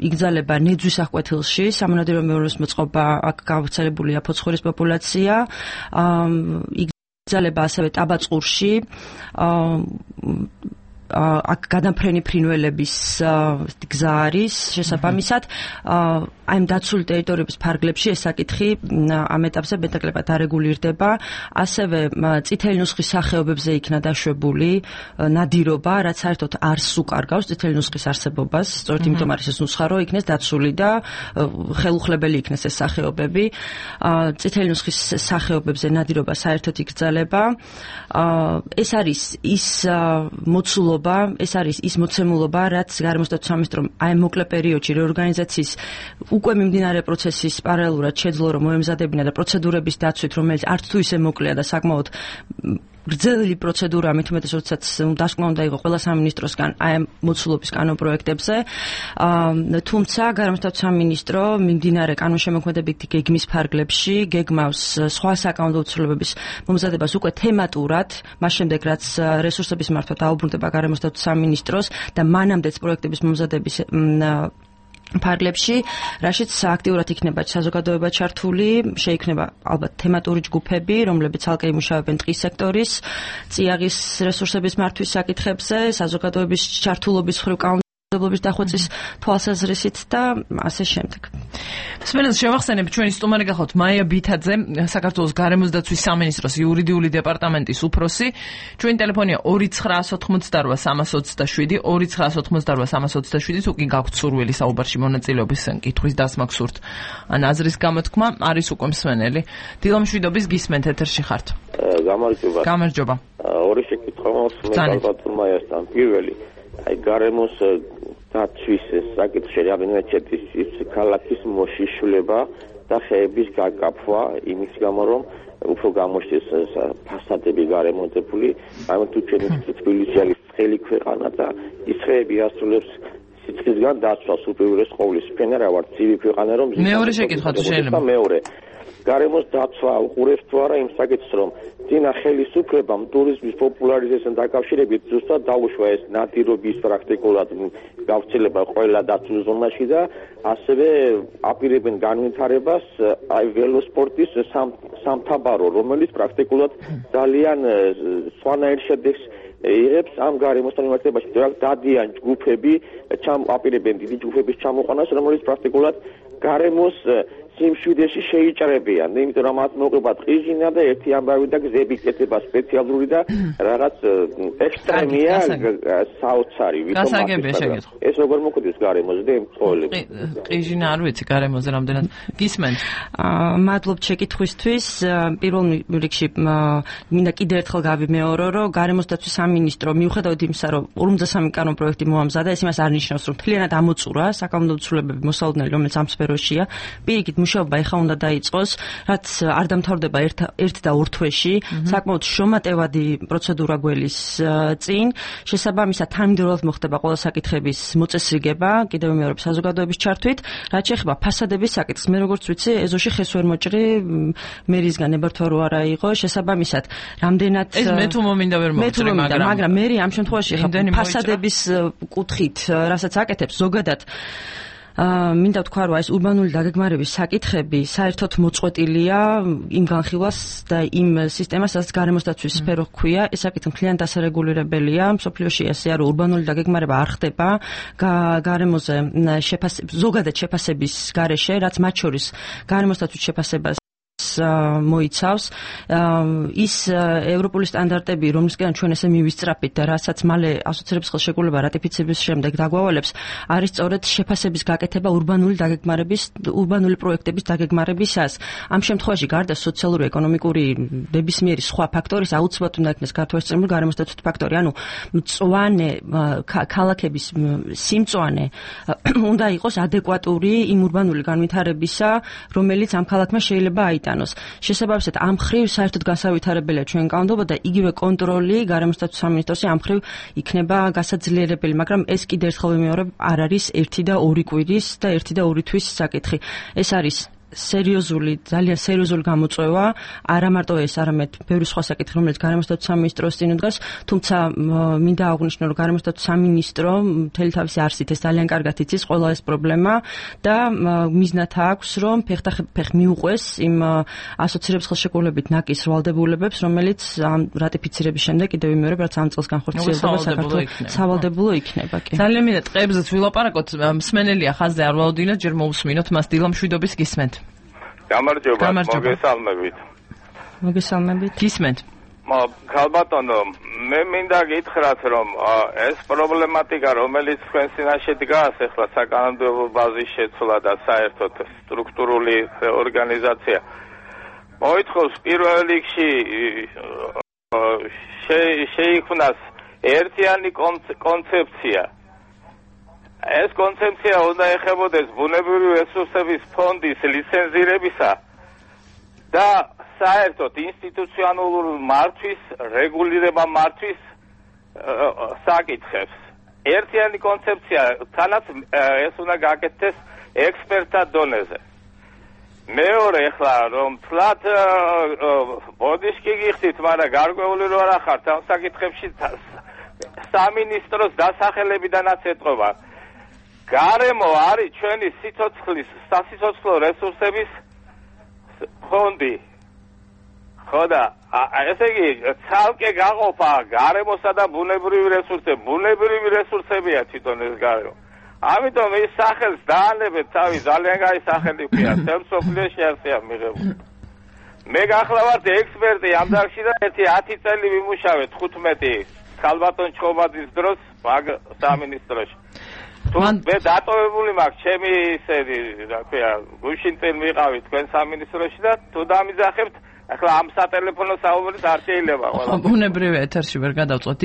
იგრძელება ნეძვის აღკვეთილში სამონადირეო მეურნეობის მოწყობა, აქ გავრცელებულია ფოცხოვრის პოპულაცია. იგრძელება ასევე ტაბაწყურში, აქ გადამფრენი ფრინველების გზა არის შესაბამისად აი ამ დაცული ტერიტორიების ფარგლებში ეს საკითხი ამ ეტაპზე მეტაკლებად არეგულირდება. ასევე წითელი ნუსხის სახეობებზე იქნა დაშვებული ნადირობა, რაც საერთოდ არ სუკარგავს წითელი ნუსხის არსებობას, სწორედ იმიტომ არის ეს ნუსხა, რომ იქნეს დაცული და ხელუხლებელი იქნეს ეს სახეობები. წითელი ნუსხის სახეობებზე ნადირობა საერთოდ იგრძელება. ეს არის ის მოცულობა, ეს არის ის მოცემულობა, რაც გარემოსდაცვის სამინისტრომ აი მოკლე პერიოდში რეორგანიზაციის უკვე მიმდინარე პროცესის პარალელურად შეძლო, რომ მოემზადებინა და პროცედურების დაცვით, რომელიც არც თუ ისე მოკლეა და საკმაოდ გრძელი პროცედურა, მით უმეტეს, როდესაც დასკვნა უნდა იყოს ყველა სამინისტროსგან აი ამ მოცულობის კანონპროექტებზე. თუმცა გარემოსდაცვის სამინისტრო მიმდინარე კანონშემოქმედებითი გეგმის ფარგლებში გეგმავს სხვა საკანონმდებლო ცვლილებების მომზადებას უკვე თემატურად, მას შემდეგ რაც რესურსების მართვა დაუბრუნდება გარემოსდაცვის სამინისტროს და მანამდეც პროექტების მომზადების ფარგლებში, რაშიც აქტიურად იქნება საზოგადოება ჩართული, შეიქმნება ალბათ თემატური ჯგუფები, რომლებიც ალკე იმუშავებენ ტყის სექტორის, წიაღის რესურსების მართვის საკითხებზე, საზოგადოების ჩართულობის მხრივ კანონმდებლობის დახვეწის თვალსაზრისით და ასე შემდეგ. მსმენელს შევახსენებ, ჩვენი სტუმარი გახლავთ მაია ბითაძე, საქართველოს გარემოსდაცვის სამინისტროს იურიდიული დეპარტამენტის უფროსი. ჩვენი ტელეფონია 2988327, 2988327, თუ კი გაქვთ სურვილი საუბარში მონაწილეობის კითხვის დასმა გსურთ ან აზრის გამოთქმა, არის უკვე მსმენელი. დილამშვიდობის გისმენთ, ეთერში ხართ. გამარჯობა. გამარჯობა. ორი შეკითხვა მაქვს მე ბატონმაიასთან. პირველი, აი გარემოს დაცვის საკითხში რამდენიმე ჩეთის ქალაქის მოშიშვლება და ხეების გაკაფვა იმის გამო, რომ უფრო გამოჩნდეს ფასადები გარემონტებული, აი თუ ჩვენი თბილისი არის ცხელი ქვეყანა და ის ხეები ასრულებს სიცხისგან დაცვას უპირველეს ყოვლის. ჩვენ რა ვართ ცივი ქვეყანა, რომ მეორე შეკითხვა თუ შეიძლება. მეორე გარემოს დაცვა უყურებს თუ არა იმ საკითხს, რომ ძინა ხელისუფლებამ ტურიზმის პოპულარიზაციასთან დაკავშირებით ზუსტად დაუშვა ეს ნადირობის პრაქტიკულად გავრცელება ყველა დაცულ ზონაში და ასევე აპირებენ განვითარებას აი ველოსპორტის სამთაბარო, რომელიც პრაქტიკულად ძალიან სხვანაირ შედეგს იღებს ამ გარემოსთან მიმართებაში. დადიან ჯგუფები, აპირებენ დიდი ჯგუფების ჩამოყვანას, რომელიც პრაქტიკულად გარემოს სიმშვიდეში შეიჭრებიან, იმიტომ რომ მათ მოყვება ტყიჟინა და ერთი ამბავი და გზები კეთება სპეციალური და რაღაც ექსტრემია საოცარი. გასაგებია შეკითხვა. ეს როგორ მოხდეს გარემოზე მწოველები? ტყიჟინა არ ვიცი გარემოზე რამდენად გისმენთ. მადლობთ შეკითხვისთვის. პირველ რიგში მინდა კიდევ ერთხელ გავიმეორო, რომ გარემოსდაცვის სამინისტრო მიუხედავად იმისა, რომ 53 კანონპროექტი მოამზადა, ეს იმას არ ნიშნავს, რომ მთლიანად ამოწურა საკანონმდებლო ცვლილებები მოსალოდნელი, რომელიც ამ სფეროშია. პირიქით მუშაობა ეხა უნდა დაიწყოს, რაც არ დამთავრდება ერთ და ორ თვეში, საკმაოდ შრომატევადი პროცედურა გველის წინ. შესაბამისად, თანმიმდევრულად მოხდება ყველა საკითხების მოწესრიგება, კიდევ მეორე საზოგადოების ჩართვით, რაც შეეხება ფასადების საკითხს. მე როგორც ვიცი, ეზოში ხეს ვერ მოჭრი, მერისგან ებართვა რო არა იყო, შესაბამისად, რამდენად ეს მე თუ მომინდა ვერ მოჭრი, მაგრამ მე ამ შემთხვევაში ხა ფასადების კუთხით, რასაც აკეთებს ზოგადად მინდა ვთქვა, რომ ეს ურბანული დაგეგმარების საკითხები საერთოდ მოწყვეტილია იმ განხილვას და იმ სისტემას, სადაც გარემოსდაცვის სფერო ჰქვია, ეს საკითხი მთლიან დასარეგულირებელია. მსოფლიოში ესეა, რომ ურბანული დაგეგმარება არ ხდება გარემოზე ზოგადად შეფასების გარეშე, რაც მათ შორის გარემოსდაცვის შეფასებას მოიცავს ის ევროპული სტანდარტები, რომლისგან ჩვენ ესე მივისწრაფით და რასაც მალე ასოცირების ხელშეკრულება რატიფიცირების შემდეგ დაგვავალებს, არის სწორედ შეფასების გაკეთება ურბანული პროექტების დაგეგმარებისას. ამ შემთხვევაში გარდა სოციალური, ეკონომიკური ნებისმიერი სხვა ფაქტორის აუცილებლად უნდა იქნეს ქართულენოვანი გარემოსდაცვითი ფაქტორი, ანუ მწვანე ქალაქების სიმწვანე უნდა იყოს ადეკვატური იმ ურბანული განვითარებისა, რომელიც ამ ქალაქმა შეიძლება აიტანოს. შესაბამისად, ამ ხრივ საერთოდ განსავითარებელია ჩვენ კანონმდებლობა და იგივე კონტროლი გარემოსდაცვის სამინისტროში ამ ხრივ იქნება გასაძლიერებელი, მაგრამ ეს კიდევ ერთხელ ვიმეორებ, არ არის 1 და 2 კვირის და 1 და 2 თვის საკითხი. ეს არის ძალიან სერიოზული გამოწვევა, არა მარტო ეს, არამედ ბევრი სხვა საკითხი, რომელიც გარემოსდაცვის სამინისტროს წინ უდგას, თუმცა მინდა აღვნიშნო, რომ გარემოსდაცვის სამინისტრო მთელი თავისი არსით ეს ძალიან კარგად იცის ყველა ეს პრობლემა და მიზნად აქვს, რომ ფეხ მიუყვეს იმ ასოცირების ხელშეკრულებით ნაკის ვალდებულებებს, რომელიც ამ რატიფიცირების შემდეგ კიდევ ვიმეორებ, რაც ამ წელს განხორციელდება საქართველოს სავალდებულო იქნება. ძალიან მინდა ტყეებზეც ვილაპარაკოთ, მსმენელია ხაზზე არ ვალოდინოთ, ჯერ მოусმინოთ მას დილა მშვიდობის გისმენთ. გამარჯობა, მოგესალმებით. მოგესალმებით. გისმენთ. ქალბატონო, მე მინდა გითხრათ, რომ ეს პრობლემატიკა, რომელიც თქვენ წინაშე დგას, ახლა საკანონმდებლო ბაზის შეცვლა და საერთოდ სტრუქტურული ორგანიზაცია, მოითხოვს პირველ რიგში შეიქმნას ერთიანი კონცეფცია. ეს კონცეფცია უნდა ეხებოდეს ბუნებრივი რესურსების ფონდის ლიცენზირებისა და საერთოდ ინსტიტუციონალური მართვის, რეგულირება მართვის საკითხებს. ერთიანი კონცეფცია, თანაც ეს უნდა გაკეთდეს ექსპერტთა დონეზე. მეორე, ახლა რომ თლათ ბოდიშკი გიხდით, მაგრამ გარკვეული რო არ ახართ ამ საკითხებში სამინისტროს დასახელებიდანაც ეთყობა. გარემო არის ჩვენი სასიცოცხლო რესურსების ფონდი. ხო და ესე იგი ცალკე გაყოფა გარემოსა და ბუნებრივი რესურსები. ბუნებრივი რესურსებია თვითონ ეს გარემო. ამიტომ ის სახელს დაანებეთ თავი, ძალიან კაი სახელი ქვია. სოფლიოში არსია მიღებული. მე გახლავართ ექსპერტი ამ დარგში და 10 წელი ვიმუშავე 15 ქალბატონ ჩხობაძის დროს მაგ სამინისტროში. მე დატოვებული მაქვს ჩემი ისეთი, რა ქვია, გუშინ წინ ვიყავი თქვენ სამინისტროში და თუ დამიძახებთ, ახლა ამ სატელეფონო საუბარით არ შეიძლება ყველა. ბუნებრივია, ეთერში ვერ გადავწყვეტ.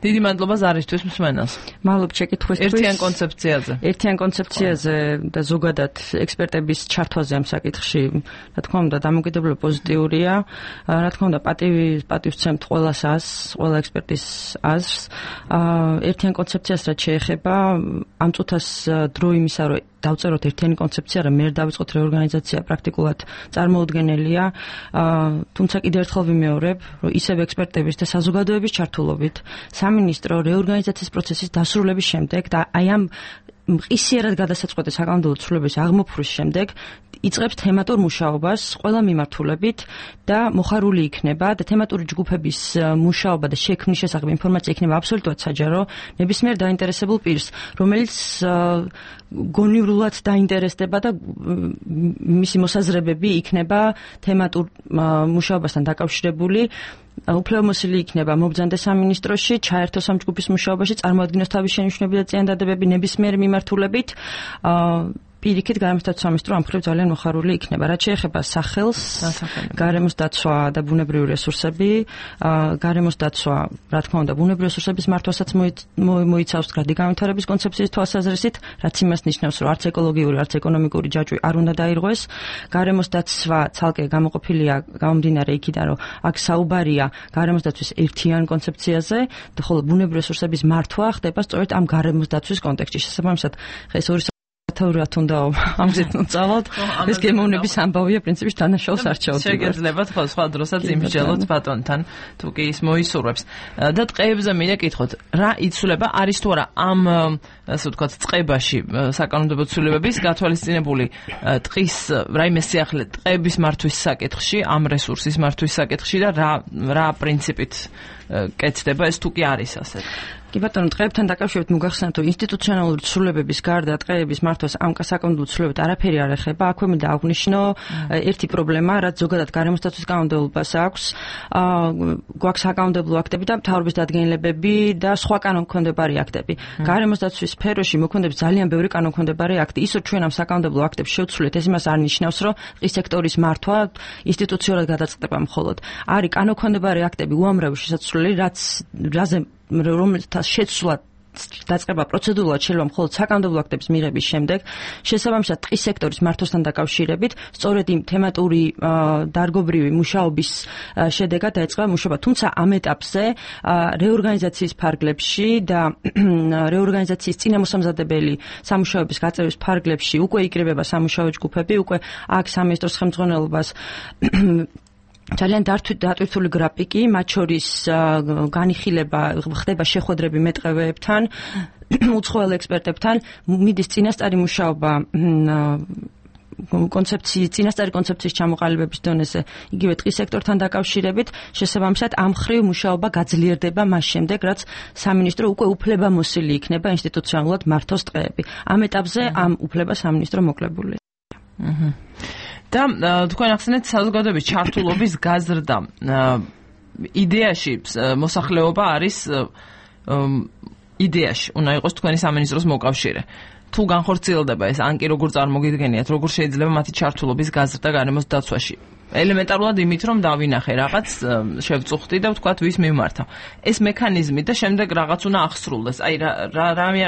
დიდი მადლობა ზარისთვის მსმენელს. მადლობ შეკითხვისთვის. ერთიან კონცეფციაზე. ერთიან კონცეფციაზე და ზოგადად ექსპერტების ჩართვაზე ამ საკითხში, რა თქმა უნდა, დამოკიდებულება პოზიტიურია. რა თქმა უნდა, პატივს ვცემთ ყველა ექსპერტის აზრს. ერთიან კონცეფციას რაც შეეხება, ამ წუთას დრო იმისა, რომ დავწეროთ ერთიანი კონცეფცია, რა მე არ დავიწყოთ რეორგანიზაცია პრაქტიკულად წარმოუდგენელია. თუმცა კიდევ ერთხელ ვიმეორებ, რომ ისევ ექსპერტების და საზოგადოების ჩართულობით სამინისტრო რეორგანიზაციის პროცესის დასრულების შემდეგ და აი ამ მყისიერად გადასაწყვეტი საკანონმდებლო ცვლილების აღმოფხვის შემდეგ იწყებს თემატურ მუშაობას ყველა მიმართულებით და მოხარული იქნება და თემატური ჯგუფების მუშაობა და შექმნის შესახებ ინფორმაცია იქნება აბსოლუტურად საჯარო ნებისმიერ დაინტერესებულ პირს, რომელიც გონივრულად დაინტერესდება და მისი მოსაზრებები იქნება თემატურ მუშაობასთან დაკავშირებული. უფლებამოსილი იქნება მობრძანდეს სამინისტროში, ჩაერთოს ამ ჯგუფის მუშაობაში, წარმოადგინოს თავის შენიშვნები და წინადადებები ნებისმიერ მიმართულებით. პირიქით გარემოსდაცვის სამინისტრო ამ მხრივ ძალიან მოხარული იქნება. რაც შეეხება სახელს, გარემოს დაცვა და ბუნებრივი რესურსები, გარემოს დაცვა, რა თქმა უნდა, ბუნებრივი რესურსების მართვასაც მოიცავს გრადი განვითარების კონცეფციის თვალსაზრისით, რაც იმას ნიშნავს, რომ არც ეკოლოგიური, არც ეკონომიკური ჯაჭვი არ უნდა დაირღვეს. გარემოს დაცვა ცალკე გამოყოფილია გამომდინარე იქიდან, რომ აქ საუბარია გარემოს დაცვის ერთიან კონცეფციაზე, ხოლო ბუნებრივი რესურსების მართვა ხდება სწორედ ამ გარემოს დაცვის კონტექსტში. შესაბამისად, ეს ათეურად უნდა ამზით წავალთ. ეს გემოვნების ამბავია პრინციპში დანაშაულს არჩევთ. შეგეძლებათ ხო სხვა დროსაც იმსჯელოთ ბატონთან თუ კი ის მოისურვებს. და ტყეებზე მინდა კითხოთ, რა იცვლება არის თუ არა ამ ასე ვთქვათ წყებაში საკანონმდებლო ცვლილებების გათვალისწინებული ტყის რაიმე სიახლე ტყეების მართვის საკითხში, ამ რესურსის მართვის საკითხში და რა პრინციპით კეთდება ეს თუ კი არის ასეთ. კი ბატონო, ტყეებთან დაკავშირებით მოგახსენებთ, რომ ინსტიტუციონალური ცვლილებების გარდა ტყეების მართვას ამ საკანონმდებლო ცვლილებებით არაფერი არ ეხება. აქვე მინდა აღვნიშნო ერთი პრობლემა, რაც ზოგადად გარემოსდაცვის კანონმდებლობას აქვს. გვაქვს საკანონმდებლო აქტები და მთავრობის დადგენილებები და სხვა კანონქვემდებარე აქტები. გარემოსდაცვის სფეროში მოქმედებს ძალიან ბევრი კანონქვემდებარე აქტი. ის რომ ჩვენ ამ საკანონმდებლო აქტებს შევცვლით, ეს იმას არ ნიშნავს, რომ ტყის სექტორის მართვა ინსტიტუციურად გადაწყდება მხოლოდ. არის კანონქვემდებარე აქტები უამრავი შესაძლებელი, რაზე რომელთა შეცვლა დაწყება პროცედურულად შეიძლება მხოლოდ საკანონმდებლო აქტების მიღების შემდეგ, შესაბამისად ტყის სექტორის მართვასთან დაკავშირებით, სწორედ იმ თემატური დარგობრივი მუშაობის შედეგად დაიწყება მუშაობა. თუმცა ამ ეტაპზე რეორგანიზაციის ფარგლებში და რეორგანიზაციის წინამოსამზადებელი სამუშაოების გაწევის ფარგლებში უკვე იკრიბება სამუშაო ჯგუფები, უკვე აქ სამინისტროს ხელმძღვანელობას ძალიან დატვირთული გრაფიკი, მათ შორის განიხილება ხდება შეხვედრები მეტყევეებთან, უცხოელ ექსპერტებთან, მიდის წინასწარი მუშაობა წინასწარი კონცეფციის ჩამოყალიბების დონეზე, იგივე ტყის სექტორთან დაკავშირებით, შესაბამისად ამ ხრივ მუშაობა გაძლიერდება მას შემდეგ, რაც სამინისტრო უკვე უფლებამოსილი იქნება ინსტიტუციონალურად მართოს ტყეები. ამ ეტაპზე ამ უფლებას სამინისტრო მოკლებული. და თქვენ ახსენეთ საზოგადოების ჩართულობის გაზრდა. იდეაში მოსახლეობა არის იდეაში უნდა იყოს თქვენი სამინისტროს მოკავშირე. თუ განხორციელდება ეს, ან კი როგორ წარმოგიდგენიათ, როგორ შეიძლება მათი ჩართულობის გაზრდა გარემოს დაცვაში? ელემენტარულად იმით, რომ დავინახე რაღაც, შევწუხდი და ვთქვათ, ვის მიმართავ. ეს მექანიზმი და შემდეგ რაღაც უნდა აღსრულდეს. აი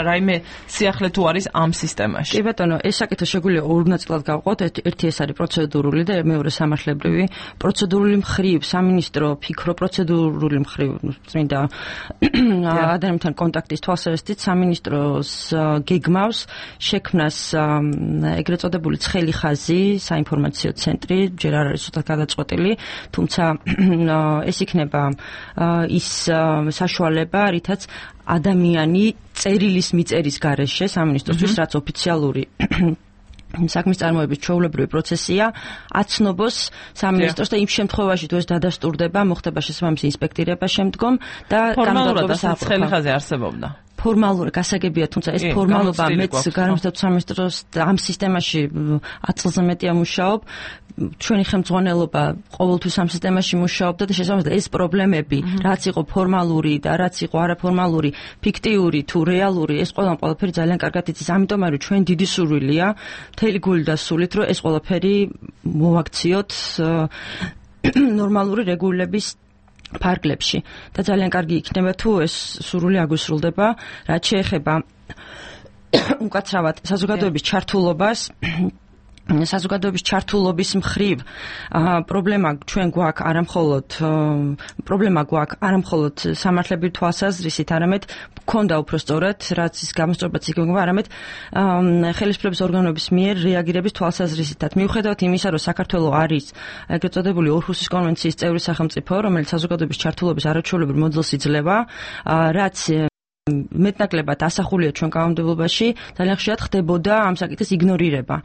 რაიმე სიახლე თუ არის ამ სისტემაში. კი ბატონო, ეს საკითხი შეგვიძლია ორ ნაწილად გავყოთ. ერთი ეს არის პროცედურული და მეორე სამართლებრივი. პროცედურული მხრივ სამინისტრო ფიქრო პროცედურული მხრივ წმინდა ადამიანთან კონტაქტის თვალსაზრისით სამინისტროს გეგმავს შექმნას ეგრეთ წოდებული ცხელი ხაზი, საინფორმაციო ცენტრი, ჯერ არ არის გადაწყვეტილი, თუმცა ეს იქნება ის საშუალება, რითაც ადამიანი წერილის მიწერის გარეშე სამინისტროსთვის, რაც ოფიციალური საქმის წარმოების ჩვეულებრივი პროცესია, აცნობს სამინისტროს და იმ შემთხვევაში თუ ეს დადასტურდება, მოხდება შესაბამისი ინსპექტირება შემდგომ და ფორმალურად ცხელი ხაზი არსებობდა. ფორმალური გასაგებია, თუმცა ეს ფორმალობა მეც გარემოსდაცვის სამინისტროს ამ სისტემაში 10 წელზე მეტია მუშაობ. ჩვენი ხელმძღვანელობა ყოველთვის ამ სისტემაში მუშაობდა და შესაბამისად ეს პრობლემები, რაც იყო ფორმალური და რაც იყო არაფორმალური, ფიქტიური თუ რეალური, ეს ყველაფერი ძალიან კარგად იცის. ამიტომ არის ჩვენ დიდი სურვილია, მთელი გული და სულით, რომ ეს ყველაფერი მოვაქციოთ ნორმალური რეგულების ფარგლებში და ძალიან კარგი იქნება თუ ეს სურვილი აგვისრულდება, რაც შეეხება უკაცრავად საზოგადოების ჩართულობას. საზოგადოების ჩართულობის მხრივ პრობლემა ჩვენ გვაქვს არამხოლოდ სამართლებრივი თვალსაზრისით, არამედ გქონდა უფრო სწორად, რაც ის გამოსწორებაც იქნება, არამედ ხელისუფლების ორგანოების მიერ რეაგირების თვალსაზრისითაც. მიუხედავად იმისა, რომ საქართველოს არის ეგრეთ წოდებული ორჰუსის კონვენციის წევრი სახელმწიფო, რომელიც საზოგადოების ჩართულობის არაჩვეულებრივ მოდელს იძლევა, რაც მეტნაკლებად ასახულია ჩვენ კანონმდებლობაში, ძალიან ხშირად ხდებოდა ამ საკითხის იგნორირება.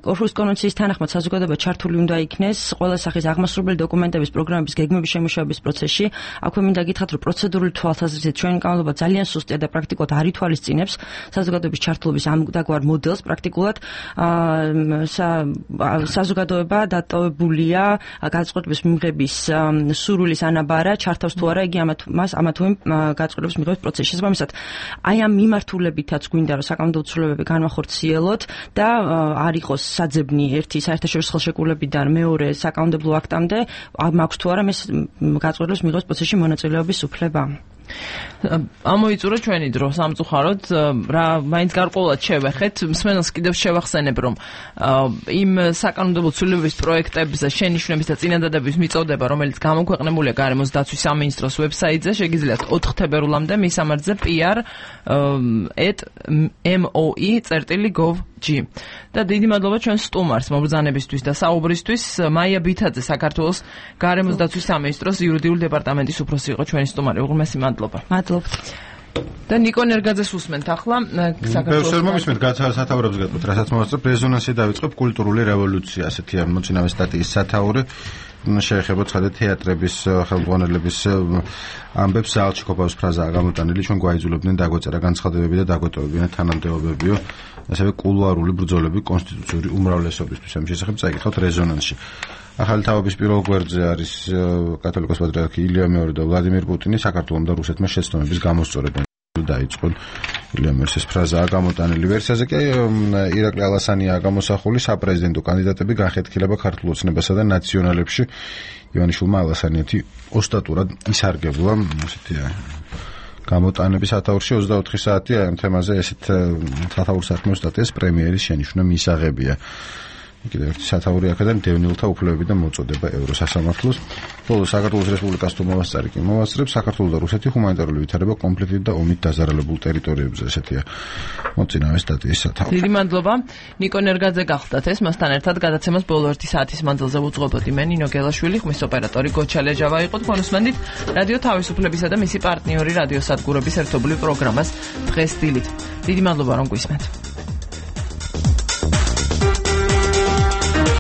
ორჰუსის კონვენციის თანახმად საზოგადოება ჩართული უნდა იქნეს ყველა სახის აღმასრულებელი დოკუმენტების პროგრამების გეგმების შემუშავების პროცესში. აქვე მინდა გითხრათ, რომ პროცედურული თვალსაზრისით ჩვენი კანონმდებლობა ძალიან სუსტია და პრაქტიკულად არ ითვალისწინებს საზოგადოების ჩართულობის ამგვარ მოდელს. პრაქტიკულად საზოგადოება დატოვებულია გადაწყვეტილების მიღების სურვილის ანაბარა, ჩართავს თუ არა იგი ამა თუ იმ გადაწყვეტილების მიღების პროცესში. შესაბამისად, აი ამ მიმართულებითაც გვინდა რომ საკანონმდებლო ცვლილებები განვახორციელოთ და არ იყოს საძებნი ერთი საერთაშორისო ხელშეკრულებიდან მეორე საკანონმდებლო აქტამდე, მაქვს თუ არა ეს გადაწყვეტილების მიღების პროცესში მონაწილეობის უფლება. ამოიწურა ჩვენი დრო სამწუხაროდ, რა მაინც გარკვეულად შევეხეთ, მსმენელს კიდევ შევახსენებ, რომ იმ საკანონმდებლო ცვლილებების პროექტებზე შენიშვნების და წინადადების მიწოდება, რომელიც გამოქვეყნებულია გარემოს დაცვის სამინისტროს ვებსაიტზე, შეგიძლიათ 4 თებერვლამდე მისამართზე pr@moi.gov და დიდი მადლობა ჩვენ სტუმარს მობრძანებისთვის და საუბრისთვის. მაია ბითაძე, საქართველოს გარემოს დაცვის სამინისტროს იურიდიული დეპარტამენტის უფროსი იყო ჩვენი სტუმარი. უღრმესი მადლობა. მადლობთ. და ნიკო ნერგაძეს უსმენთ ახლა საქართველოს მისმენთ სათაურებს გეტყვით, რასაც მოვასწრებ, რეზონანსი დავიწყებ კულტურული რევოლუცია, ასეთი ამოწინავე სტატიის სათაური. შეეხება ცხადე თეატრების ხელმძღვანელების ამბებს ზალში კოპავის ფრაზაა გამოტანილი, ჩვენ გვაიძულებდნენ დაგვეწერა განცხადებები და დაგვეტოვებინა თანამდებობებიო, ასევე კულუარული ბრძოლები კონსტიტუციური უმრავლესობისთვის. ამ შესახებ წაიკითხავთ რეზონანსში. ახალი თავების პირველ გვერდზე არის კათოლიკოს პატრიარქი ილია მეორე და ვლადიმირ პუტინი საქართველოს და რუსეთმა შეცდომების გამოსწორებენ დაიწყო. ილია მერსეს ფრაზაა გამოტანილი. ვერსიაზე კი ირაკლი ალასანიაა გამოსახული, საპრეზიდენტო კანდიდატები განხეთქილება ქართულ ოცნებასა და ნაციონალებში. ივანიშვილმა ალასანიეთი ოსტატურად ისარგებლა, ესეთია. გამოტანების სათაურში 24 საათია ამ თემაზე ესეთ სათაურს საქმე სტატიას პრემიერის შენიშვნა მისაღებია. კიდევ ერთი სათაური აქედან დევნილთა უფლებები და მოწოდება ევროსასამართლოს. ბოლოს საქართველოს რესპუბლიკას თუ მოვასწარი კი მოვასწრებ საქართველოს და რუსეთის ჰუმანიტარული ვითარება კონფლიქტით და ომით დაზარალებულ ტერიტორიებზე ესეთია მოწინავე სტატიის სათაური. დიდი მადლობა. ნიკო ნერგაძე გახლდათ ეს მასთან ერთად გადაცემას ბოლო 1 საათის მანძილზე უძღვებოდი მე ნინო გელაშვილი, ხმის ოპერატორი გოჩა ლეჯავა იყო. თქვენუსმენდით რადიო თავისუფლებისა და მისი პარტნიორი რადიო სადგურების ერთობლივ პროგრამას დღეს დილით. დიდი მადლობა რომ გვისმენთ.